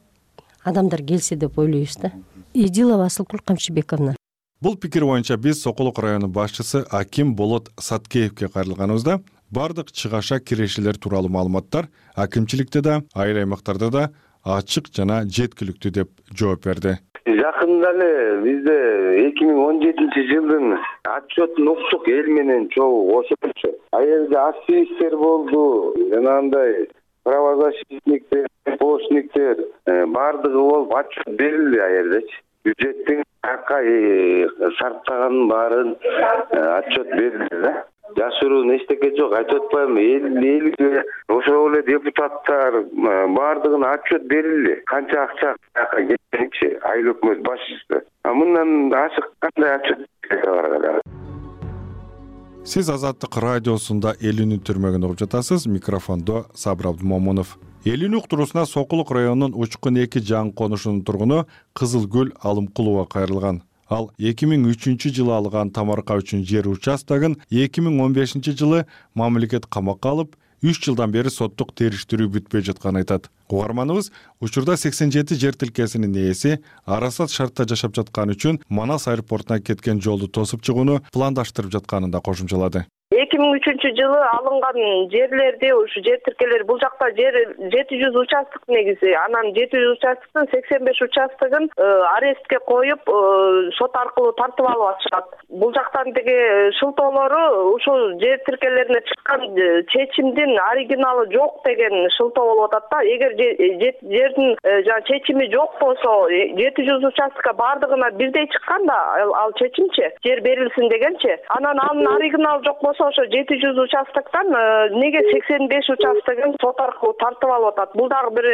[SPEAKER 20] адамдар келсе деп ойлойбуз да. Идилова Асылкүл Камчыбековна.
[SPEAKER 3] Бул пикир боюнча биз Сокулук району башчысы Аким Болот Саткеевке кайрылганыбызда бардык чыгаша кирешелер тууралуу маалыматтар акимчиликте да, айыл аймактарда да ачык жана жеткиликтүү деп жооп берди.
[SPEAKER 21] Жакында эле бизде 2017-жылдын отчетун уктук, эл менен чогуу кошулчу. Аерде активисттер болду, жанагындай правозащитниктер, помощниктер бардыгы болуп отчет берилди аердечи. Бюджеттин шарттаганын баарын отчет берилди да. Жашыруун эчтеке жок, айтып атпаймынбы, элге ошол эле депутаттар бардыгына отчет берилди. Канча акча кеткенчи айыл өкмөт башчысы. Мындан ашык кандай отчет бар?
[SPEAKER 3] Сиз Азаттык радиосунда эл үнү түрмөгүн угуп жатасыз. Микрофондо Сабыр Абдымомунов. Эл үнү уктуруусуна Сокулук районунун Учкун 2 жаңы конушунун тургуну Кызылгүл Алымкулова кайрылган. Ал 2003-жылы алган тамарка үчүн жер участогун 2015-жылы мамлекет камакка алып, 3 жылдан бери соттук териштирүү бүтпөй жатканын айтат. Угарманыбыз учурда 87 жер тилкесинин ээси арасат шартта жашап жатканы үчүн Манас аэропортуна кеткен жолду тосуп чыгууну пландаштырып жатканын да кошумчалады.
[SPEAKER 22] 2003-жылы алынган жерлерди, ушу жер тиркелери, бул жакта жер 700 участок негизи. Анан 700 участоктун 85 участогун арестке коюп, сот аркылуу тартып алып атышат. Бул жактан деги шылтоолору ушул жер тиркелерине чыккан чечимдин оригиналы жок деген шылтоо болуп атат да. Эгер жердин чечими жок болсо, 700 участокка бардыгына бирдей чыккан да ал чечимчи, жер берилсин дегенчи. Анан анын оригиналы жок болсо, ошо 700 участоктон неге 85 участогун сот аркылуу тартып алып атат? Бул дагы бир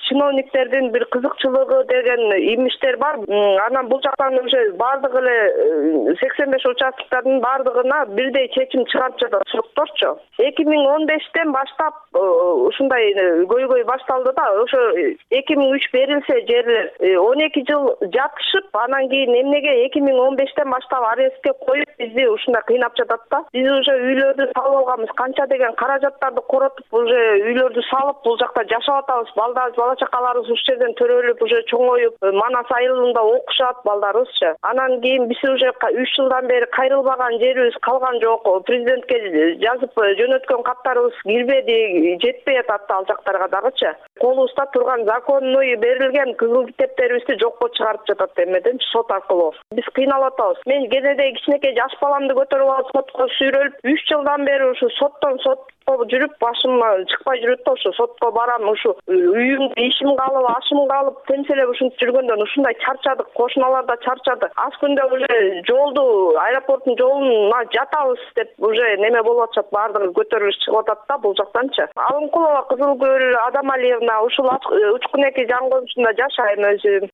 [SPEAKER 22] чиновниктердин бир кызыкчылыгы деген имиштер бар. Анан бул жактан уже бардыгы эле 85 участоктардын бардыгына бирдей чечим чыгарып жатат сотторчу. 2015-тен баштап ушундай көйгөй башталды да. Ошо 2003 берилсе жерлер 12 жыл жатышып, анан кийин эмнеге 2015-тен баштап арестке коюп бизди ушундай кыйнап жатат да. Биз уже үйлөрдү салып алганбыз, канча деген каражаттарды коротуп уже үйлөрдү салып, бул жакта жашап атабыз. Бала чакаларыбыз ушул жерден төрөлүп, уже чоңоюп, Манас айылында окушат балдарыбызчы. Анан кийин биз уже 3 жылдан бери кайрылбаган жерибиз калган жок. Президентке жазып жөнөткөн каттарыбыз кирбеди, жетпей атат ал жактарга дагычы. Колубузда турган законный берилген кызыл китептерибизди жокко чыгарып жатат эмеден сот аркылуу. Биз кыйналып атабыз. Мен кенеде кичинекей жаш баламды көтөрүп алып сотко сүйрөлүп, 3 жылдан бери ушу соттон сотко жүрүп, башым чыкпай жүрөт да, ушу сотко барам, ушу үйүмдү ишим калып, ашым калып, темселеп ушинтип жүргөндөн ушундай чарчадык, кошуналар да чарчады. Аз күндө уже жолду, аэропорттун жолуна жатабыз деп уже неме болуп атышат, бардыгы көтөрүлүш чыгып атат да бул жактанчы. Алымкулова Кызылгүл Адамалиевна ушул Учкун 2 жаңы конушунда жашайм өзүм.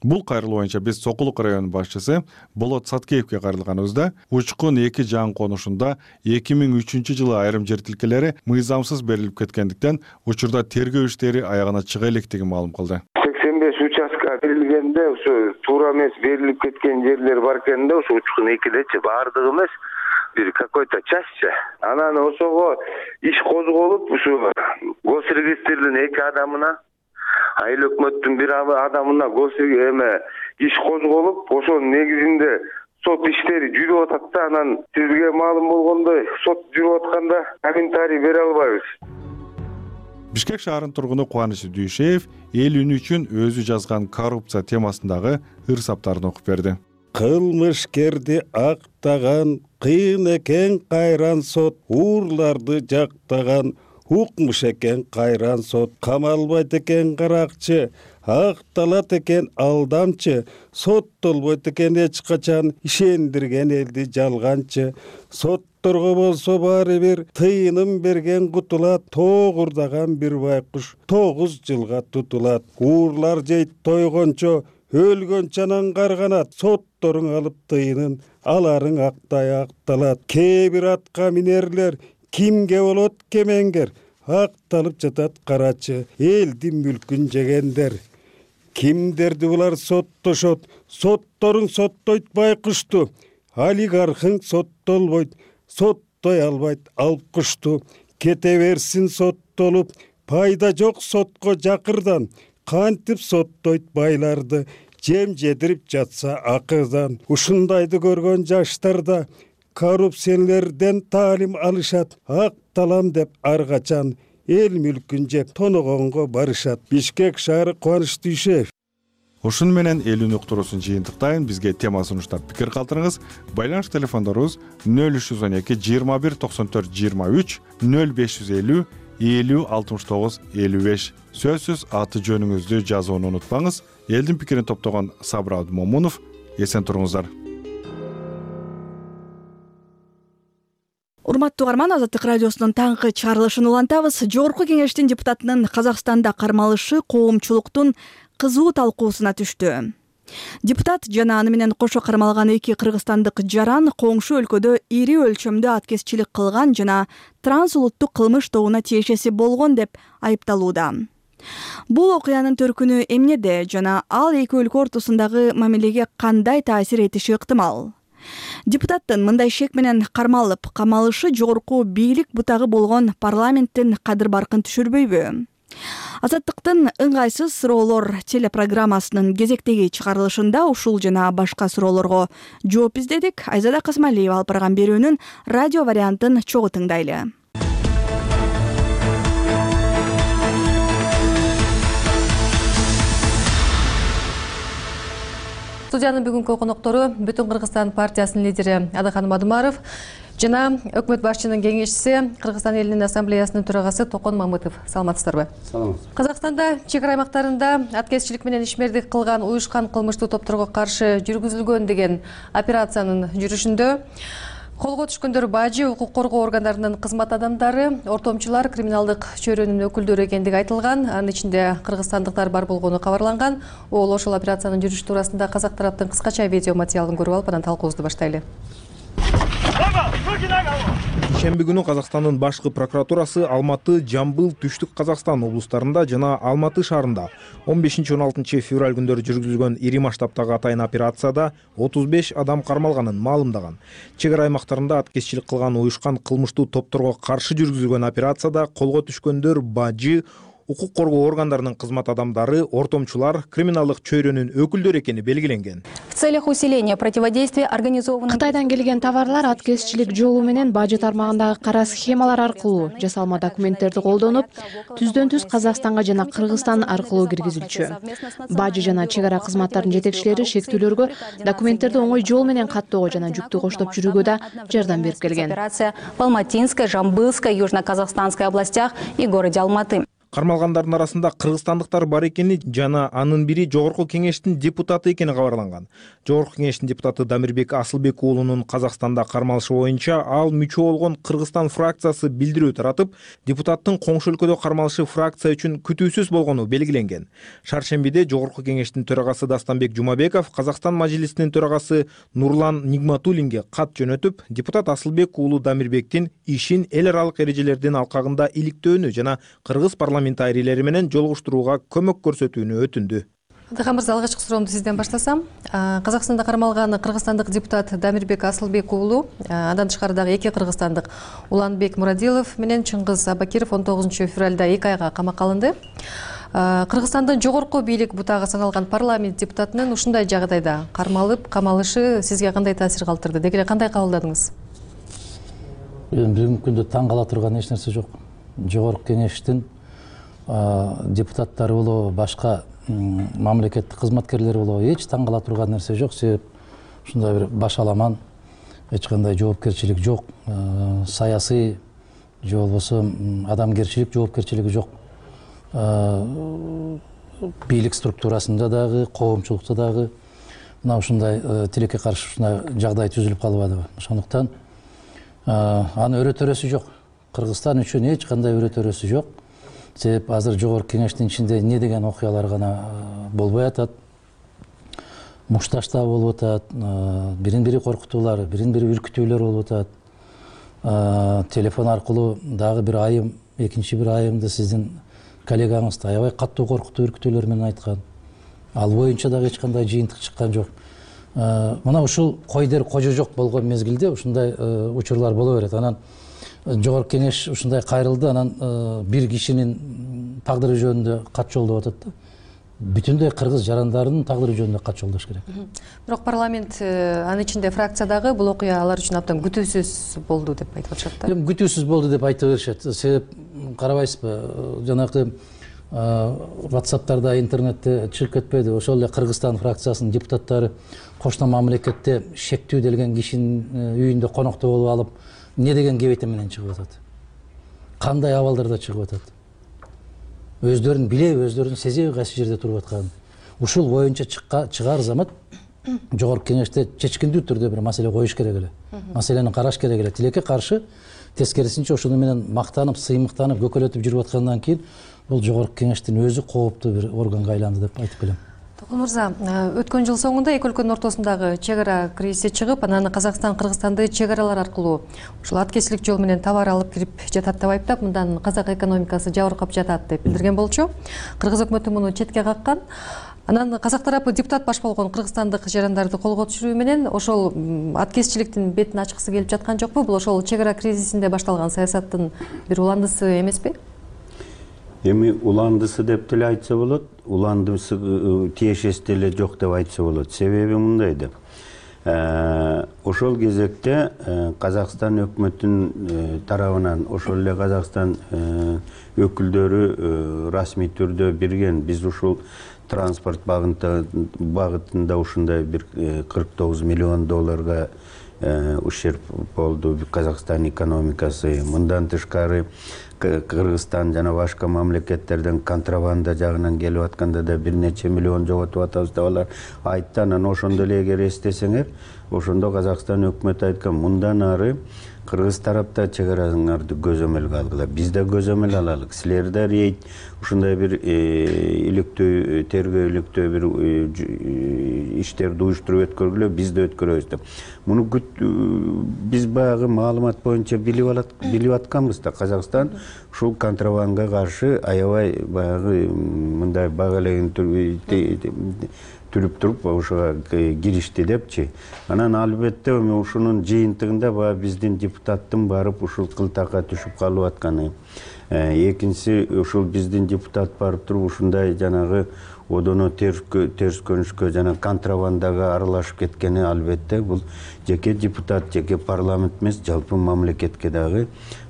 [SPEAKER 3] Бул кайрылуу боюнча биз Сокулук району башчысы Болот Саткеевке кайрылганыбызда Учкун 2 жаңы конушунда 2003-жылы айрым жер тилкелери мыйзамсыз берилип кеткендиктен учурда тергөө иштери аягына чыга электигин маалым кылды.
[SPEAKER 21] 85 участка берилгенде ушу туура эмес берилип кеткен жерлер бар экен да, ушу Учкун 2дечи бардыгы эмес, бир какой-то частчы. Анан ошого иш козголуп, ушу госрегистрдин 2 адамына, айыл өкмөттүн бир адамына иш козголуп, ошонун негизинде сот иштери жүрүп атат да. Анан сизге маалым болгондой, сот жүрүп атканда комментарий бере албайбыз.
[SPEAKER 3] Бишкек шаарынын тургуну Кубаныч Дүйшеев эл үнү үчүн өзү жазган коррупция темасындагы ырсаптарын окуп берди.
[SPEAKER 23] Кылмышкерди актаган, кыйын экен кайран сот, уурларды жактаган, укмуш экен кайран сот, камалбайт экен каракчы, акталат экен алдамчы, соттолбойт экен эч качан, ишендирген элди жалганчы. Сотторго болсо баары бир тыйыным берген кутулат, тоогурдаган бир байкуш 9 жылга тутулат. Уурлар жейт тойгончо, өлгөнчө анан карганат, сот сотторуң алып тыйынын аларың актай акталат. Кээ бир атка минерлер кимге болот кемеңгер акталып жатат карачы элдин мүлкүн жегендер. Кимдерди булар соттошот, сотторуң соттойт байкушту, олигархың соттолбойт, соттой албайт алып кушту. Кете берсин соттолуп, пайда жок сотко жакырдан, кантип соттойт байларды, жем жедирип жатса акырдан. Ушундайды көргөн жаштарда коррупциялерден таалим алышат, акталам деп ар качан эл мүлкүн жеп тоногонго барышат. Бишкек шаары Кубаныч Дүйшеев.
[SPEAKER 3] Ушун менен элүүнү уктуруусун жыйынтыктайын. Бизге тема сунуштап пикир калтырыңыз. Байланыш телефондорубуз 0312 21 94 23 0550 50 69 55. Сөзсүз аты жөнүңүздү жазууну унутпаңыз. Элдин пикирин топтогон Сабыр Абдымомунов. Эсен туруңуздар.
[SPEAKER 1] Урматтуу угарман, Азаттык радиосунун таңкы чыгарылышын улантабыз. Жогорку кеңештин депутатынын Казакстанда кармалышы коомчулуктун кызуу талкуусуна түштү. Депутат жана аны менен кошо кармалган 2 кыргызстандык жаран коңшу өлкөдө ири өлчөмдө аткезчилик кылган жана трансулуттук кылмыш тобуна тиешеси болгон деп айыпталууда. Бул окуянын төркүнү эмнеде жана ал 2 өлкө ортосундагы мамилеге кандай таасир этиши ыктымал? Депутаттын мындай шек менен кармалып камалышы жогорку бийлик бутагы болгон парламенттин кадыр баркын түшүрбөйбү? Азаттыктын ыңгайсыз суроолор телепрограммасынын кезектеги чыгарылышында ушул жана башка суроолорго жооп издедик. Айзада Касмалиева алып барган берүүнүн радио вариантын чогуу тыңдайлы.
[SPEAKER 5] Студиянын бүгүнкү коноктору Бүтүн Кыргызстан партиясынын лидери Адаханым Адымаров жана өкмөт башчынын кеңешчиси Кыргызстан элинин ассамблеясынын төрагасы Токон Мамытов. Саламатсыздарбы?
[SPEAKER 7] Саламат.
[SPEAKER 5] Казакстанда чек ара аймактарында аткезчилик менен ишмердик кылган уюшкан кылмыштуу топторго каршы жүргүзүлгөн деген операциянын жүрүшүндө колго түшкөндөр бажы, укук коргоо органдарынын кызмат адамдары, ортомчулар, криминалдык чөйрөнүн өкүлдөрү экендиги айтылган. Анын ичинде кыргызстандыктар бар болгону кабарланган. Ошол операциянын жүрүшү туурасында казак тараптын кыскача видео материалын көрүп алып, анан талкуубузду баштайлы.
[SPEAKER 7] Шемби күнү Казакстандын башкы прокуратурасы Алматы, Жамбыл, Түштүк Казакстан облустарында жана Алматы шаарында 15-16 февраль күндөрү жүргүзүлгөн ири масштабтагы атайын операцияда 35 адам кармалганын маалымдаган. Чек ара аймактарында аткезчилик кылган уюшкан кылмыштуу топторго каршы жүргүзүлгөн операцияда колго түшкөндөр бажы, укук коргоо органдарынын кызмат адамдары, ортомчулар, криминалдык чөйрөнүн өкүлдөрү экени белгиленген.
[SPEAKER 8] В целях усиления противодействия организованным... Кытайдан келген товарлар аткезчилик жолу менен бажы тармагындагы кара схемалар аркылуу жасалма документтерди колдонуп, түздөн-түз Казакстанга жана Кыргызстан аркылуу киргизилчү. Бажы жана чек ара кызматтарынын жетекчилери шектүүлөргө документтерди оңой жол менен каттоого жана жүктү коштоп жүрүүгө да жардам берип келген. Операция в Алматинской, Жамбылской, Южно-Казахстанской областях и городе Алматы.
[SPEAKER 7] Кармалгандардын арасында кыргызстандыктар бар экени жана анын бири жогорку кеңештин депутаты экени кабарланган. Жогорку кеңештин депутаты Дамирбек Асылбек уулунун Казакстанда кармалышы боюнча ал мүчө болгон Кыргызстан фракциясы билдирүү таратып, депутаттын коңшу өлкөдө кармалышы фракция үчүн күтүүсүз болгону белгиленген. Шаршембиде жогорку кеңештин төрагасы Дастанбек Жумабеков Казакстан мажлисинин төрагасы Нурлан Нигматуллинге кат жөнөтүп, депутат Асылбек уулу Дамирбектин ишин эл аралык эрежелердин алкагында иликтөөнү жана кыргыз парламентарийлери менен жолугуштурууга көмөк көрсөтүүнү өтүндү.
[SPEAKER 5] Адахан мырза, алгачкы суроомду сизден баштасам. Казакстанда кармалган кыргызстандык депутат Дамирбек Асылбек уулу, андан тышкары дагы 2 кыргызстандык Уланбек Мурадилов менен Чыңгыз Абакиров 19 февралда 2 айга камакка алынды. Кыргызстандын жогорку бийлик бутагы саналган парламент депутатынын ушундай жагдайда кармалып, камалышы сизге кандай таасир калтырды? Деги эле кандай кабылдадыңыз?
[SPEAKER 24] Бүгүнкү күндө таң кала турган эч нерсе жок. Жогорку кеңештин депутаттары болобу, башка мамлекеттик кызматкерлер болобу, эч таң кала турган нерсе жок. Себеп ушундай бир башаламан, эч кандай жоопкерчилик жок, саясий же болбосо адамгерчилик жоопкерчилиги жок. Бийлик структурасында дагы, коомчулукта дагы мына ушундай тилекке каршы ушундай жагдай түзүлүп калбадыбы. Ошондуктан аны өрөтөрөсү жок. Кыргызстан үчүн эч кандай өрөтөрөсү жок. Себеп азыр жогорку кеңештин ичинде эмне деген окуялар гана болбой атат. мушташта болуп атат, бирин бири коркутуулар, бирин бири үркүтүүлөр болуп атат. Телефон аркылуу дагы бир айым, экинчи бир айымды сиздин коллегаңызды аябай каттуу коркутуу, үркүтүүлөр менен айткан. Ал боюнча дагы эч кандай жыйынтык чыккан жок. Мына ушул кой дер кожо жок болгон мезгилде ушундай учурлар боло берет. Анан жогорку кеңеш ушундай кайрылды, анан бир кишинин тагдыры жөнүндө кат жолдоп атат да. Бүтүндөй кыргыз жарандарынын тагдыры жөнүндө кат жолдош керек.
[SPEAKER 5] Бирок парламент, анын ичинде фракциядагы бул окуя алар үчүн абдан күтүүсүз болду деп айтып атышат да.
[SPEAKER 24] Күтүүсүз болду деп айта беришет. Себеп карабайсызбы, жанагы WhatsApp'тарда, интернетте чыгып кетпеди. Ошол эле Кыргызстан фракциясынын депутаттары кошмо мамлекетте шектүү делген кишинин үйүндө конокто болуп алып, эмне деген кебете менен чыгып атат? Кандай абалдарда чыгып атат? Өздөрүн билеби, өздөрүн сезеби кайсы жерде туруп атканын. Ушул боюнча чыгаар замат жогорку кеңеште чечкиндүү түрдө бир маселе коюш керек эле. Маселени караш керек эле. Тилекке каршы тескерисинче ошону менен мактанып, сыймыктанып, көкөлөтүп жүрүп аткандан кийин бул жогорку кеңештин өзү кооптуу бир органга айланды деп айтып келем.
[SPEAKER 5] Токун мырза, өткөн жыл соңунда эки өлкөнүн ортосундагы чек ара кризиси чыгып, анан Казакстан Кыргызстанды чек аралар аркылуу ушул аткезчилик жол менен товар алып кирип жатат деп айыптап, мындан казак экономикасы жабыркап жатат деп билдирген болчу. Кыргыз өкмөтү муну четке каккан. Анан казак тарапы депутат баш болгон кыргызстандык жарандарды колго түшүрүү менен ошол аткезчиликтин бетин ачкысы келип жаткан жокпу? Бул ошол чек ара кризисинде башталган саясаттын бир уландысы эмеспи?
[SPEAKER 4] Эми уландысы деп деле айтса болот, уландысы тиешеси деле жок деп айтса болот. Себеби мындай деп. Ошол кезекте Казакстан өкмөтүнүн тарабынан ошол эле Казакстан өкүлдөрү расмий түрдө бирген, биз ушул транспорт багытында ушундай бир 49 миллион долларга ущерб болду Казакстан экономикасы. Мындан тышкары Кыргызстан жана башка мамлекеттерден контрабанда жагынан келип атканда да бир нече миллион жоготуп атабыз деп алар айтты. Анан ошондо эле эгер эстесеңер, ошондо Казакстан өкмөтү айткан, мындан ары Кыргыз тарапта чек араңарды көзөмөлгө алгыла, биз да көзөмөл алалык. Силер да рейд ушундай бир иликтөө, тергөөлүктөө бир иштерди уюштуруп өткөргүлө, биз да өткөрөбүз деп. Муну биз баягы маалымат боюнча билип атканбыз да, Казакстан ушул контрабандага каршы аябай баягы мындай бага элеген түрүп туруп ошого киришти депчи. Анан албетте ушунун жыйынтыгында баягы биздин депутаттын барып ушул кылтакка түшүп калып атканы. Экинчиси, ушул биздин депутат барып туруп ушундай жанагы одоно терс көрүнүшкө жана контрабандага аралашып кеткени албетте бул жеке депутат, жеке парламент эмес, жалпы мамлекетке дагы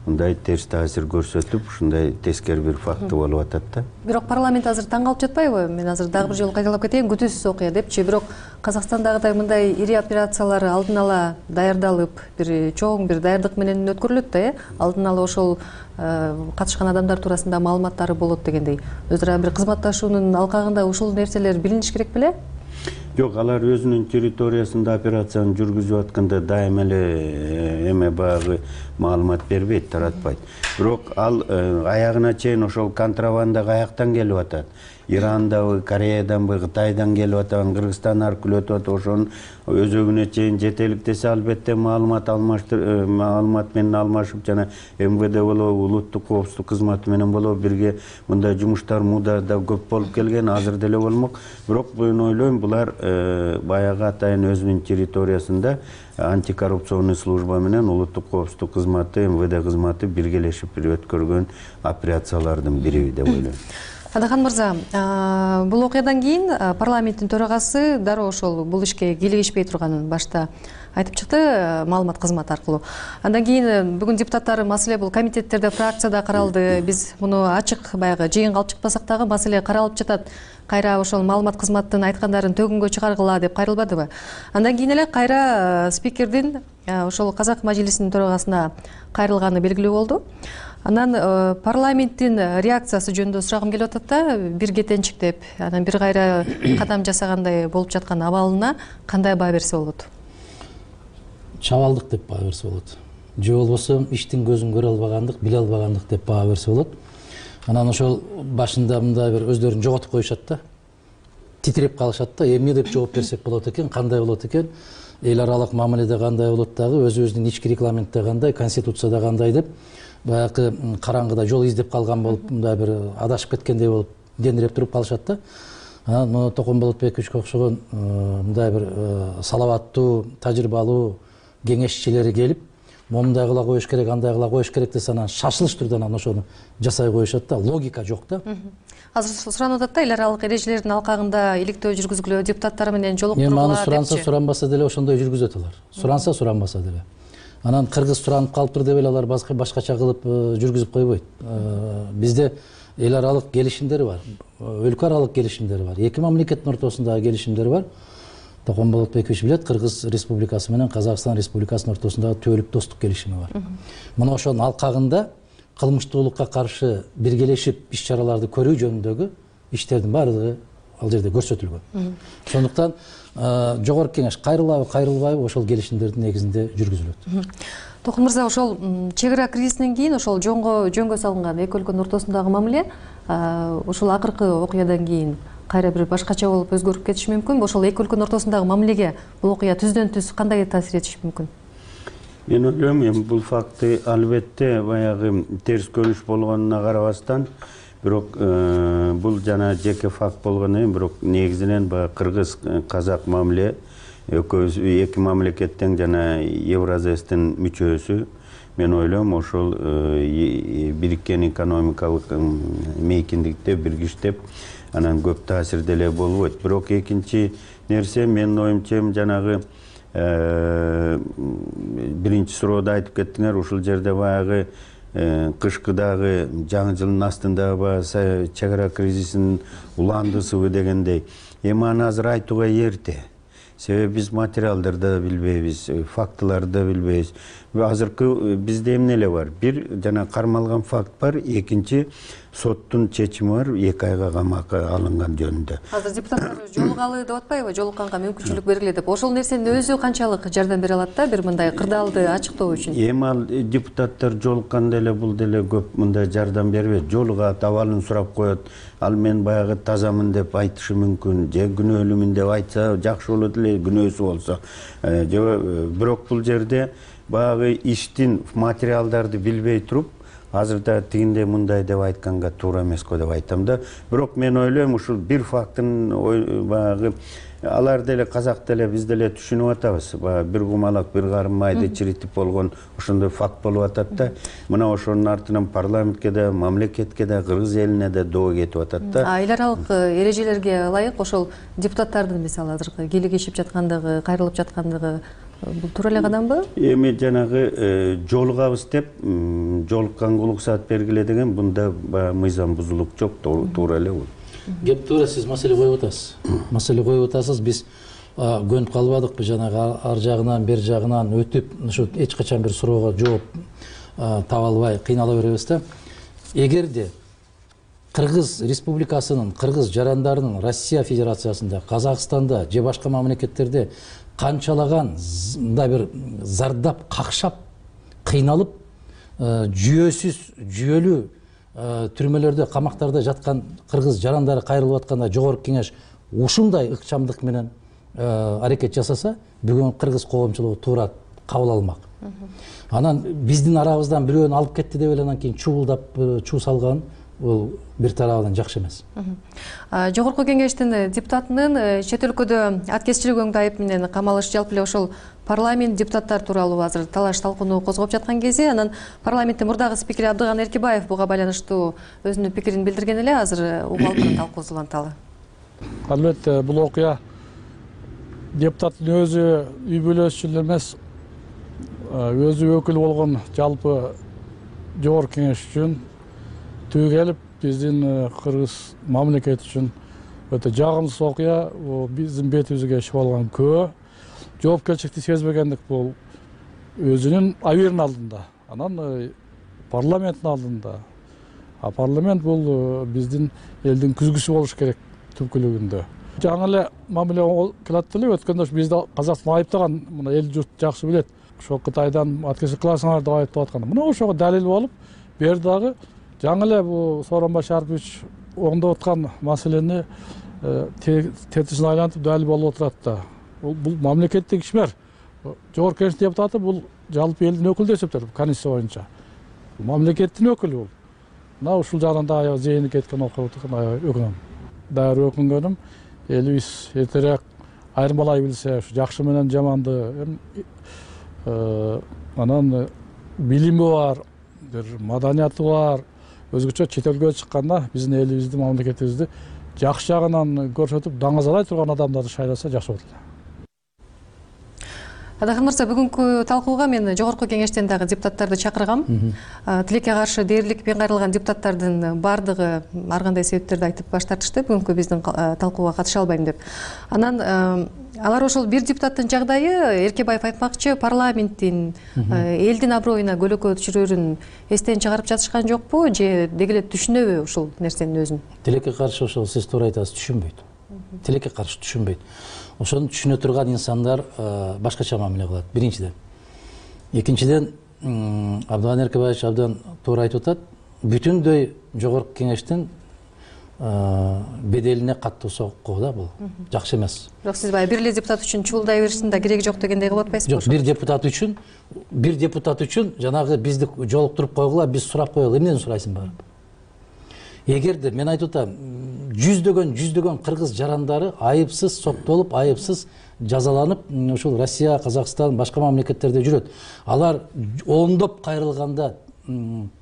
[SPEAKER 4] мындай терс таасир көрсөтүп, ушундай тескери бир факты болуп атат да.
[SPEAKER 5] Бирок парламент азыр таң калып жатпайбы? Мен азыр дагы бир жолу кайталап кетейин, күтүүсүз окуя депчи. Бирок Казакстандагыдай мындай ири операциялар алдын ала даярдалып, бир чоң бир даярдык менен өткөрүлөт да, алдын ала ошол катышкан адамдар туурасында маалыматтары болот дегендей. Өзара бир кызматташуунун алкагында ушул нерселер билиниш керек беле?
[SPEAKER 4] Жок, алар өзүнүн территориясында операцияны жүргүзүп атканда дайыма эле эме баягы маалымат бербейт, таратпайт. Бирок ал аягына чейин ошол контрабанда каяктан келип атат? Ирандабы, Кореяданбы, Кытайдан келип атат, Кыргызстан аркылуу өтүп атат, ошонун өзөгүнө чейин жетелик десе, албетте маалымат менен алмашып жана МВД болобу, улуттук коопсуздук кызматы менен болобу бирге мындай жумуштар муда да көп болуп келген, азыр деле болмок. Бирок мен ойлойм, булар баягы атайын өзүнүн территориясында антикоррупционный служба менен улуттук коопсуздук кызматы, МВД кызматы биргелешип өткөргөн операциялардын бири деп ойлойм.
[SPEAKER 5] Адахан мырза, бул окуядан кийин парламенттин төрагасы дароо ошол бул ишке кийлигишпей турганын башта айтып чыкты маалымат кызматы аркылуу. Андан кийин бүгүн депутаттар маселе бул комитеттерде, фракцияда каралды. Биз муну ачык баягы жыйынга алып чыкпасак дагы маселе каралып жатат. Кайра ошол маалымат кызматтын айткандарын төгүнгө чыгаргыла деп кайрылбадыбы? Андан кийин эле кайра спикердин ошол казак мажлисинин төрагасына кайрылганы белгилүү болду. Анан парламенттин реакциясы жөнүндө сурагым келип атат да, бир кетенчик деп, анан бир кайра кадам жасагандай болуп жаткан абалына кандай баа берсе болот?
[SPEAKER 24] Чабалдык деп баа берсе болот. Же болбосо иштин көзүн көрө албагандык, биле албагандык деп баа берсе болот. Анан ошол башында мындай бир өздөрүн жоготуп коюшат да. титиреп калышат да, эмне деп жооп берсек болот экен, кандай болот экен, эл аралык мамиледе кандай болот дагы, өзүбүздүн ички регламентте кандай, конституцияда кандай деп баягы караңгыда жол издеп калган болуп, мындай бир адашып кеткендей болуп дендиреп туруп калышат да. Мына Токомболотбековичке окшогон мындай бир салаваттуу, тажрыйбалуу кеңешчилери келип, момундай кыла коюш керек, андай кыла коюш керек десе, анан шашылыш түрдө анан ошону жасай коюшат да, логика жок да.
[SPEAKER 5] Азыр суранып атат да, эл аралык эрежелердин алкагында иликтөө жүргүзгүлө, депутаттар менен жолуктургула депчи.
[SPEAKER 24] Суранса суранбаса деле ошондой жүргүзөт алар. Суранса суранбаса деле. Анан кыргыз суранып калыптыр деп эле алар башкача кылып жүргүзүп койбойт. Бизде эл аралык келишимдер бар, өлкө аралык келишимдер бар, эки мамлекеттин ортосундагы келишимдер бар. Токомболотбекович билет, Кыргыз Республикасы менен Казакстан Республикасынын ортосундагы түбөлүк достук келишими бар. Мына ошонун алкагында кылмыштуулукка каршы биргелешип иш-чараларды көрүү жөнүндөгү иштердин баардыгы ал жерде көрсөтүлгөн. Ошондуктан жогорку кеңеш кайрылабы, кайрылбайбы ошол келишимдердин негизинде жүргүзүлөт.
[SPEAKER 5] Токун мырза, ошол чек ара кризисинен кийин ошол жөнгө салынган эки өлкөнүн ортосундагы мамиле ошол акыркы окуядан кийин кайра бир башкача болуп өзгөрүп кетиши мүмкүн. Ошол эки өлкөнүн ортосундагы мамилеге бул окуя түздөн түз кандай таасир этиши мүмкүн?
[SPEAKER 4] Мен ойлойм, эми бул факты албетте баягы терс көрүш болгонуна карабастан, бирок бул жана жеке факт болгондон кийин, бирок негизинен баягы кыргыз казак мамиле экөөбүз эки мамлекеттен жана Евразэстин мүчөсү, мен ойлойм ошол бириккен экономикалык мейкиндикте биргиштеп анан көп таасир деле болбойт. Бирок экинчи нерсе, менин оюмча, жанагы биринчи суроодо айтып кеттиңер, ушул жерде баягы кышкыдагы жаңы жылдын астындагы баягы чек ара кризисинин уландысыбы дегендей. Эми аны азыр айтууга эрте. Себеби биз материалдарды да билбейбиз, фактыларды да билбейбиз. Азыркы бизде эмне эле бар? Бир жана кармалган факт бар, экинчи соттун чечими бар, 2 айга камакка алынган жөнүндө.
[SPEAKER 5] Азыр депутаттар жолугалы деп атпайбы, жолукканга мүмкүнчүлүк бергиле деп. Ошол нерсенин өзү канчалык жардам бере алат да, бир мындай кырдаалды ачыктоо үчүн?
[SPEAKER 4] Эми ал депутаттар жолукканда эле бул деле көп мындай жардам бербейт. Жолугат, абалын сурап коет. Ал мен баягы тазамын деп айтышы мүмкүн, же күнөөлүүмүн деп айтса жакшы болот эле, күнөөсү болсо. Бирок бул жерде баягы иштин материалдарды билбей туруп, азырда тигиндей мындай деп айтканга туура эмес го деп айтам да. Бирок мен ойлойм, ушул бир фактын баягы алар деле казак деле биз деле түшүнүп атабыз. Баягы бир кумалак, бир карым майды чиритип болгон ошондой факт болуп атат да. Мына ошонун артынан парламентке да, мамлекетке да, кыргыз элине да доо кетип атат да.
[SPEAKER 5] Эл аралык эрежелерге ылайык ошол депутаттардын мисалы азыркы кийлигишип жаткандыгы, кайрылып жаткандыгы бул туура эле кадамбы?
[SPEAKER 4] Эми жанагы жолугабыз деп жолукканга уруксат бергиле деген бунда баягы мыйзам бузулук жок, туура эле бул.
[SPEAKER 24] Кеп туура сиз маселе коюп атасыз. Маселе коюп атасыз. Биз көнүп калбадыкпы жанагы ар жагынан, бер жагынан өтүп, ушу эч качан бир суроого жооп таба албай кыйнала беребиз да. Эгерде Кыргыз Республикасынын, кыргыз жарандарынын Россия Федерациясында, Казакстанда же башка мамлекеттерде канчалаган мындай бир зардап какшап, кыйналып, жүйөлүү түрмөлөрдө, камактарда жаткан кыргыз жарандары кайрылып атканда жогорку кеңеш ушундай ыкчамдык менен аракет жасаса, бүгүн кыргыз коомчулугу туура кабыл алмак. Анан биздин арабыздан бирөөнү алып кетти деп эле анан кийин чуулдап, чуу салган бул бир тарабынан жакшы эмес.
[SPEAKER 5] Жогорку кеңештин депутатынын чет өлкөдө аткезчилик өңдүү айып менен камалышы жалпы эле ошол парламент депутаттар тууралуу азыр талаш талкууну козгоп жаткан кезде, анан парламенттин мурдагы спикери Абдыган Эркибаев буга байланыштуу өзүнүн пикирин билдирген эле, азыр угуп алып талкуу уланталы.
[SPEAKER 9] Албетте бул окуя депутаттын өзү үй бүлөсү эле эмес, өзү өкүл болгон жалпы жогорку кеңеш үчүн түгү келип, биздин кыргыз мамлекет үчүн өтө жагымсыз окуя, биздин бетибизге чыгып алган күбө. Жоопкерчиликти сезбегендик бул өзүнүн абийиринин алдында, анан парламенттин алдында. Парламент бул биздин элдин күзгүсү болуш керек түпкүлүгүндө. Жаңы эле мамиле кылат эле, өткөндө бизди Казакстан айыптаган, мына эл журт жакшы билет. Ошо Кытайдан аткезчилик кыласыңар деп айыптап атканда, мына ошого далил болуп, бер дагы жаңы эле бул Сооронбай Шарыпович оңдоп аткан маселени тетисин айлантып дали болуп отурат да. Бул мамлекеттик ишмер. Жогорку Кеңештин депутаты бул жалпы элдин өкүлү деп эсептелет Конституция боюнча. Мамлекеттин өкүлү бул. Мына ушул жагынан да аябай зээни кеткен окуп отурган аябай өкүнөм. Дагы өкүнгөнүм элибиз эртерээк айырмалай билсе, ушу жакшы менен жаманды, анан билими бар, бир маданияты бар, өзгөчө чет элге чыкканда биздин элибизди, мамлекетибизди жакшы жагынан көрсөтүп, даңазалай турган адамдарды шайласа жакшы болот эле.
[SPEAKER 5] Адакан мырза, бүгүнкү талкууга мен Жогорку Кеңештен дагы депутаттарды чакыргам. Тилекке каршы дээрликпен кайрылган депутаттардын баардыгы ар кандай себептерди айтып баш тартышты, бүгүнкү биздин талкууга катыша албайм деп. Анан алар ошол бир депутаттын жагдайы Эркебаев айтмакчы, парламенттин элдин аброюна көлөкө түшүрөрүн эстен чыгарып жатышкан жокпу, же деги эле түшүнөбү ушул нерсенин өзүн?
[SPEAKER 24] Тилекке каршы ошол сиз туура айтасыз, түшүнбөйт. Тилекке каршы түшүнбөйт. Ошону түшүнө турган инсандар башкача мамиле кылат, биринчиден. Экинчиден, Абдыган Эркебаевич абдан туура айтып атат, бүтүндөй Жогорку Кеңештин беделине каттуу сокку да бул. Жакшы эмес.
[SPEAKER 5] Бирок сиз баягы бир эле депутат үчүн чуулдай беришин да кереги жок дегендей кылып атпайсызбы?
[SPEAKER 24] Жок, бир депутат үчүн жанагы бизди жолуктуруп койгула, биз сурап коелу, эмнеден сурайсың барып? Эгерде мен айтып атам, жүздөгөн кыргыз жарандары айыпсыз соктолуп, айыпсыз жазаланып, ушул Россия, Казакстан, башка мамлекеттерде жүрөт. Алар ондоп кайрылганда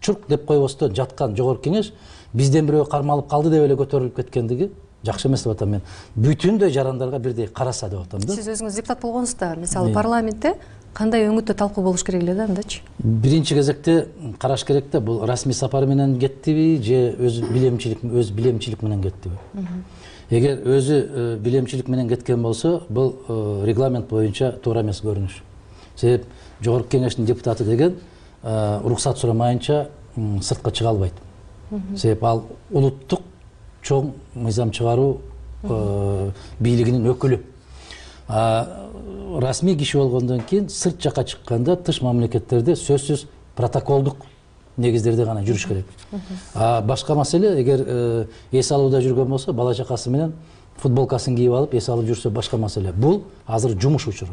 [SPEAKER 24] чурк деп койбостон жаткан Жогорку Кеңеш бизден бирөө кармалып калды деп эле көтөрүлүп кеткендиги жакшы эмес деп атам мен. Бүтүндөй жарандарга бирдей караса деп атам да.
[SPEAKER 5] Сиз өзүңүз депутат болгонсузда, мисалы парламентте кандай өңүттө талкуу болуш керек эле да андачы?
[SPEAKER 24] Биринчи кезекте караш керек да, бул расмий сапар менен кеттиби же өз билемчилик менен кеттиби. Эгер өзү билемчилик менен кеткен болсо, бул регламент боюнча туура эмес көрүнүш. Себеп Жогорку Кеңештин депутаты деген уруксат сурамайынча сыртка чыга албайт. Себеп ал улуттук чоң мыйзам чыгаруу бийлигинин өкүлү. Расмий киши болгондон кийин сырт жака чыкканда тыш мамлекеттерде сөзсүз протоколдук негиздерде гана жүрүш керек. Башка маселе, эгер эс алууда жүргөн болсо, бала чакасы менен футболкасын кийип алып эс алып жүрсө башка маселе. Бул азыр жумуш учуру.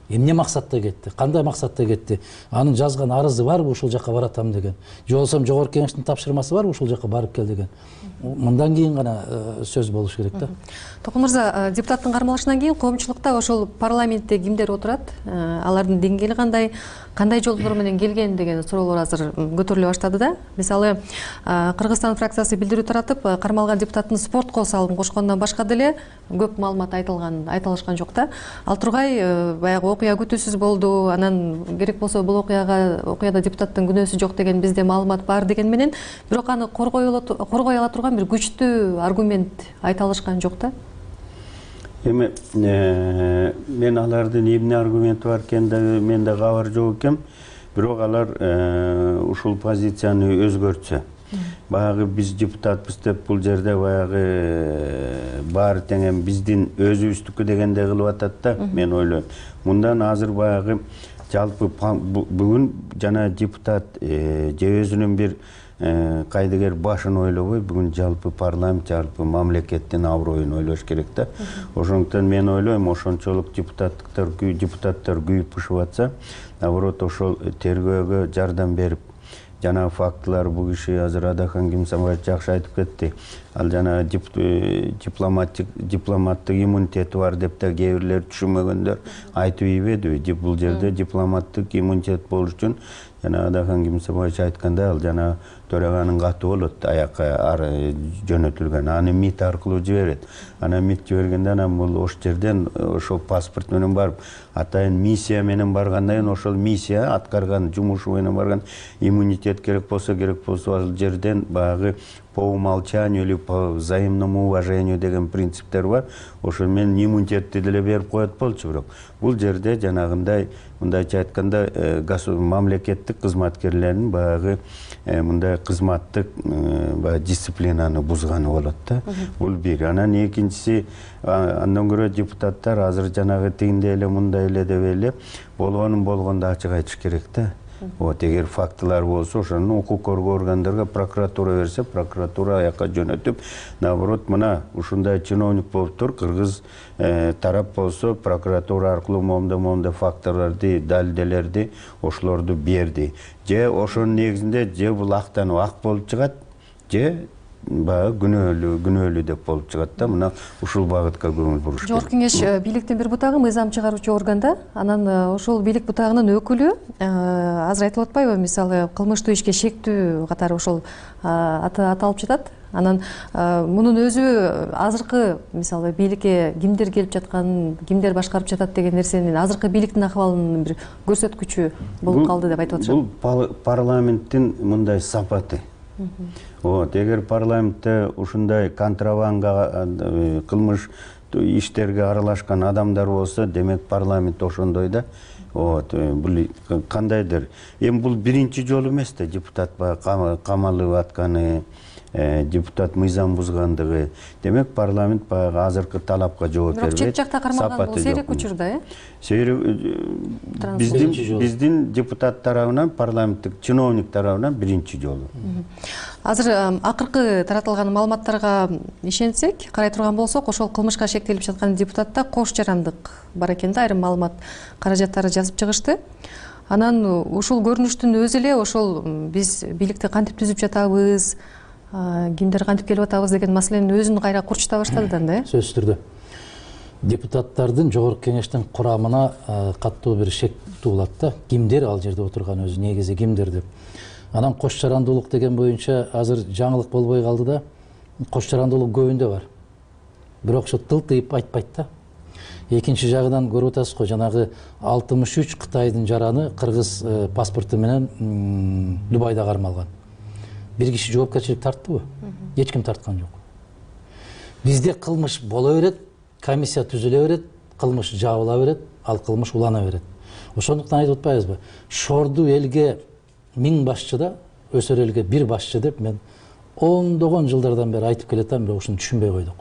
[SPEAKER 24] Эмне максатта кетти? Кандай максатта кетти? Анын жазган арызы барбы ушул жака баратам деген? Же болбосо Жогорку Кеңештин тапшырмасы барбы ушул жака барып кел деген? Мындан кийин гана сөз болуш керек да.
[SPEAKER 5] Токун мырза, депутаттын кармалышынан кийин коомчулукта ошол парламентте кимдер отурат? Алардын деңгээли кандай жолдор менен келген деген суроолор азыр көтөрүлө баштады да. Мисалы, Кыргызстан фракциясы билдирүү таратып, кармалган депутаттын спортко салым кошкондон башка деле көп маалымат айтылышкан жок да. Ал тургай баягы окуя күтүүсүз болду, анан керек болсо бул окуяда депутаттын күнөөсү жок деген бизде маалымат бар деген менен, бирок аны коргой ала турган бир күчтүү аргумент айта алышкан жок да.
[SPEAKER 4] Эми мен алардын эмне аргументи бар экендиги менде кабар жок экен, бирок алар ушул позицияны өзгөртсө. Баягы биз депутатпыз деп бул жерде баягы баары тең эми биздин өзүбүздүкү дегендей кылып атат да, мен ойлойм. Мындан азыр баягы жалпы бүгүн жана депутат же өзүнүн бир кайдыгер башын ойлобой, бүгүн жалпы парламент, жалпы мамлекеттин аброюн ойлош керек да. Ошондуктан мен ойлойм, ошончолук депутаттар күйүп пышып атса, наоборот ошол тергөөгө жардам берип, жана фактылар бул киши азыр Адакан Кимсанбаев жакшы айтып кетти. Ал жана дипломаттык иммунитети бар деп да кээ бирлер түшүнмөгөндөр айтып ийбедиби? Бул жерде дипломаттык иммунитет болуш үчүн жана Адакан Кимсанбаев айткандай, ал жана төраганын каты болот, аякка жөнөтүлгөн, аны МИД аркылуу жиберет. Анан МИД жибергенде анан бул ош жерден ошол паспорт менен барып, атайын миссия менен баргандан кийин ошол миссия аткарган жумушу менен барган иммунитет керек болсо ал жерден баягы по умолчанию или по взаимному уважению деген принциптер бар. Ошол менен иммунитетти деле берип коет болчу, бирок бул жерде жанагындай, мындайча айтканда, мамлекеттик кызматкерлердин баягы мындай кызматтык дисциплинаны бузганы болот да. Бул бир. Анан экинчиси, андан көрө депутаттар азыр жанагы тигиндей эле мындай эле деп эле болгонун болгондо ачык айтыш керек да. Вот эгер фактылар болсо ошону укук коргоо органдарга прокуратура берсе, прокуратура аяка жөнөтүп, наоборот мына ушундай чиновник болуптур, кыргыз тарап болсо прокуратура аркылуу моундай факторлорду, далилдерди ошолорду берди. Же ошонун негизинде же бул актанып ак болуп чыгат, же баягы күнөөлүү деп болуп чыгат да. Мына ушул багытка көңүл буруш керек.
[SPEAKER 5] Жогорку кеңеш бийликтин бир бутагы мыйзам чыгаруучу органда, анан ошол бийлик бутагынын өкүлү азыр айтылып атпайбы, мисалы кылмыштуу ишке шектүү катары ошол аты аталып жатат. Анан мунун өзү азыркы мисалы бийликке кимдер келип жаткан, кимдер башкарып жатат деген нерсенин азыркы бийликтин акыбалынын бир көрсөткүчү болуп калды деп айтып атышат.
[SPEAKER 4] Бул парламенттин мындай сапаты. Вот эгер парламентте ушундай контрабанга, кылмыш иштерге аралашкан адамдар болсо, демек парламент ошондой да. Вот бул кандайдыр. Эми бул биринчи жолу эмес да депутат камалып атканы, депутат мыйзам бузгандыгы. Демек парламент баягы азыркы талапка жооп бербейт.
[SPEAKER 5] Бирок чет жакта кармалган бул сейрек учур да,
[SPEAKER 4] биздин депутат тарабынан, парламенттик чиновник тарабынан биринчи жолу.
[SPEAKER 5] Азыр акыркы таратылган маалыматтарга ишенсек, карай турган болсок, ошол кылмышка шектелип жаткан депутатта кош жарандык бар экен да, айрым маалымат каражаттары жазып чыгышты. Анан ушул көрүнүштүн өзү эле ошол биз бийликти кантип түзүп жатабыз, кимдер кантип келип атабыз деген маселенин өзүн кайра курчута баштады да,
[SPEAKER 24] сөзсүз түрдө. Депутаттардын жогорку кеңештин курамына каттуу бир шек туулат да, кимдер ал жерде отурган өзү, негизи кимдер деп. Анан кош жарандуулук деген боюнча азыр жаңылык болбой калды да, кош жарандуулук көбүндө бар. Бирок ошо тылтыйып айтпайт да. Экинчи жагынан көрүп атасыз го, жанагы 63 Кытайдын жараны кыргыз паспорту менен Дубайда кармалган. Бир киши жоопкерчилик тарттыбы? Эч ким тарткан жок. Бизде кылмыш боло берет, комиссия түзүлө берет, кылмыш жабыла берет, ал кылмыш улана берет. Ошондуктан айтып атпайбызбы? Шорду элге 1000 башчы да, өсөр элге 1 башчы деп мен ондогон жылдардан бери айтып келатам, бирок ушуну түшүнбөй койдук.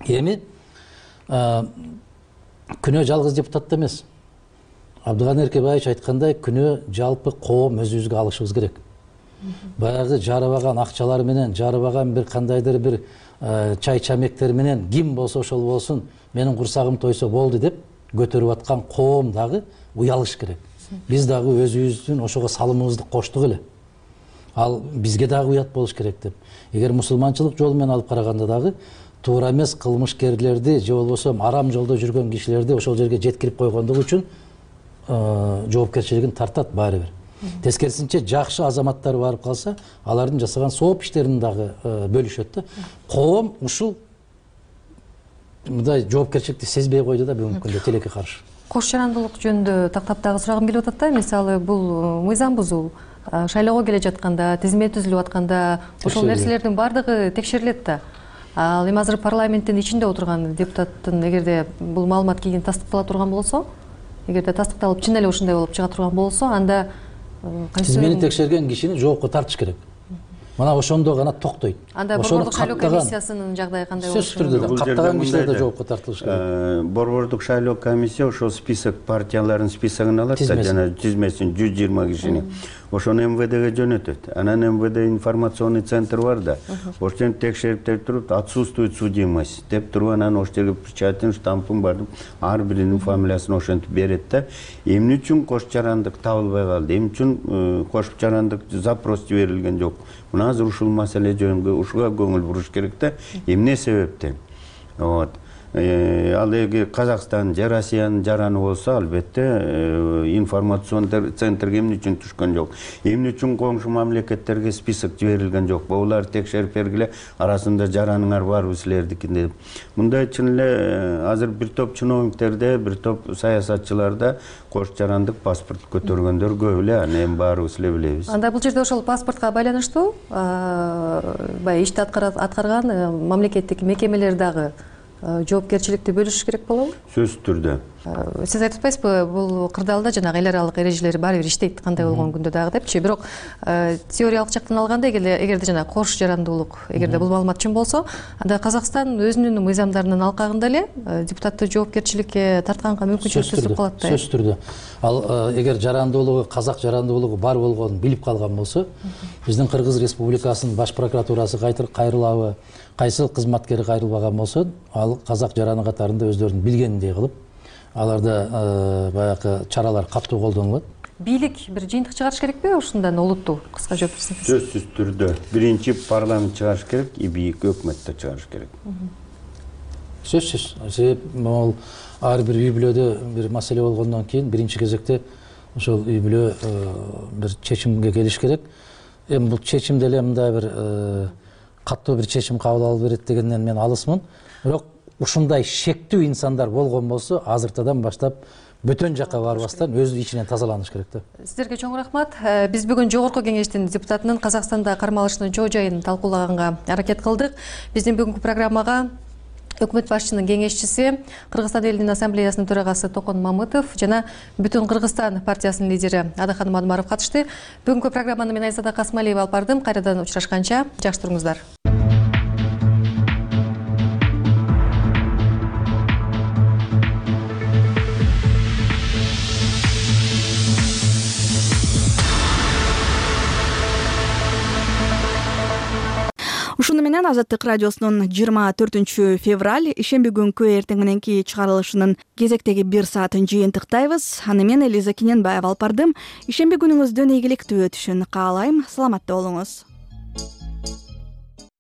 [SPEAKER 24] Эми күнөө жалгыз депутатта эмес. Абдыганы Эркебаевич айткандай, күнөө жалпы коом өзүбүзгө алышыбыз керек. Баягы жарыбаган акчалар менен, жарыбаган бир кандайдыр бир чай чамектер менен ким болсо ошол болсун, менин курсагым тойсо болду деп көтөрүп аткан коом дагы уялыш керек. Биз дагы өзүбүздүн ошого салымыбызды коштук эле. Ал бизге дагы уят болуш керек деп. Эгер мусулманчылык жолу менен алып караганда дагы туура эмес кылмышкерлерди же болбосо арам жолдо жүргөн кишилерди ошол жерге жеткирип койгондугу үчүн жоопкерчилигин тартат баары бир. Тескерисинче жакшы азаматтар барып калса, алардын жасаган сооп иштерин дагы бөлүшөт да. Коом ушул мындай жоопкерчиликти сезбей койду да бүгүнкү күндө тилекке каршы.
[SPEAKER 5] Кош жарандуулук жөнүндө тактап дагы сурагым келип атат да. Мисалы бул мыйзам бузуу, шайлоого келе жатканда, тизме түзүлүп атканда ошол нерселердин баардыгы текшерилет да. Ал эми азыр парламенттин ичинде отурган депутаттын эгерде бул маалымат кийин тастыктала турган болсо, эгерде тастыкталып чын эле ушундай болуп чыга турган болсо, анда
[SPEAKER 24] тизмени текшерген кишини жоопко тартыш керек. Мына ошондо гана токтойт.
[SPEAKER 5] Анда Борбордук шайлоо комиссиясынын жагдайы кандай болушу?
[SPEAKER 24] Сөзсүз түрдө каттаган кишилер да жоопко тартылыш керек.
[SPEAKER 4] Борбордук шайлоо комиссия ошол список партиялардын списогун алат да, жана тизмесин 120 кишини. Ошону МВДге жөнөтөт. Анан МВД информационный центр бар да. Ошону текшерип туруп, отсутствует судимость деп туруп, анан ошол жерге печатын, штампын бардым, ар биринин фамилиясын ошентип берет да. Эмне үчүн кош жарандык табылбай калды? Эмне үчүн кош жарандык запрос жиберилген жок? Мына азыр ушул маселе жөнүндө ушуга көңүл буруш керек да. Эмне себептен? Вот. Ал эгер Казакстан же Россиянын жараны болсо, албетте информационный центрге эмне үчүн түшкөн жок? Эмне үчүн коңшу мамлекеттерге список жиберилген жок? Булар текшерип бергиле, арасында жараныңар барбы силердики деп. Мындай чын эле азыр бир топ чиновниктерде, бир топ саясатчыларда кош жарандык паспорт көтөргөндөр көп эле, эми баарыбыз эле билебиз.
[SPEAKER 5] Анда бул жерде ошол паспортко байланыштуу баягы ишти аткарган мамлекеттик мекемелер дагы жоопкерчиликти бөлүшүш керек болобу?
[SPEAKER 4] Сөзсүз түрдө.
[SPEAKER 5] Сиз айтып атпайсызбы, бул кырдаалда жанагы эл аралык эрежелер баары бир иштейт, кандай болгон күндө дагы депчи. Бирок теориялык жактан алганда эгерде жанагы кош жарандуулук, эгерде бул маалымат чын болсо, анда Казакстан өзүнүн мыйзамдарынын алкагында эле депутатты жоопкерчиликке тартканга мүмкүнчүлүк түзүп калат да.
[SPEAKER 24] Сөзсүз түрдө. Ал эгер жарандуулугу, казак жарандуулугу бар болгонун билип калган болсо, биздин Кыргыз Республикасынын баш прокуратурасы кайрылабы, кайсыл кызматкери кайрылбаган болсо, ал казак жараны катарында өздөрүнүн билгениндей кылып, аларда баягы чаралар катуу колдонулат.
[SPEAKER 5] Бийлик бир жыйынтык чыгарыш керекпи ушундан олуттуу? Кыска жооп берсеңиз.
[SPEAKER 4] Сөзсүз түрдө биринчи парламент чыгарыш керек, бийик өкмөттө чыгарыш керек.
[SPEAKER 24] Сөзсүз. Себеп могул ар бир үй бүлөдө бир маселе болгондон кийин биринчи кезекте ошол үй бүлө бир чечимге келиш керек. Эми бул чечим деле мындай бир катуу бир чечим кабыл алып берет дегенден мен алысмын. Бирок ушундай шектүү инсандар болгон болсо, азыртадан баштап бөтөн жакка барбастан өз ичинен тазаланыш керек да.
[SPEAKER 5] Сиздерге чоң рахмат. Биз бүгүн Жогорку Кеңештин депутатынын Казакстанда кармалышынын чоо жайын талкуулаганга аракет кылдык. Биздин бүгүнкү программага өкмөт башчынын кеңешчиси, Кыргызстан элинин ассамблеясынын төрагасы Токон Мамытов жана Бүтүн Кыргызстан партиясынын лидери Адакан Мадмаров катышты. Бүгүнкү программаны мен Айзада Касмалиева алып бардым. Кайрадан учурашканча жакшы туруңуздар.
[SPEAKER 1] Ушуну менен Азаттык радиосунун 24 февраль ишемби күнкү эртең мененки чыгарылышынын кезектеги 1 саатын жыйынтыктайбыз. Аны мен Элиза Кененбаева алып бардым. Ишемби күнүңүздүн ийгиликтүү өтүшүн каалайм. Саламатта болуңуз.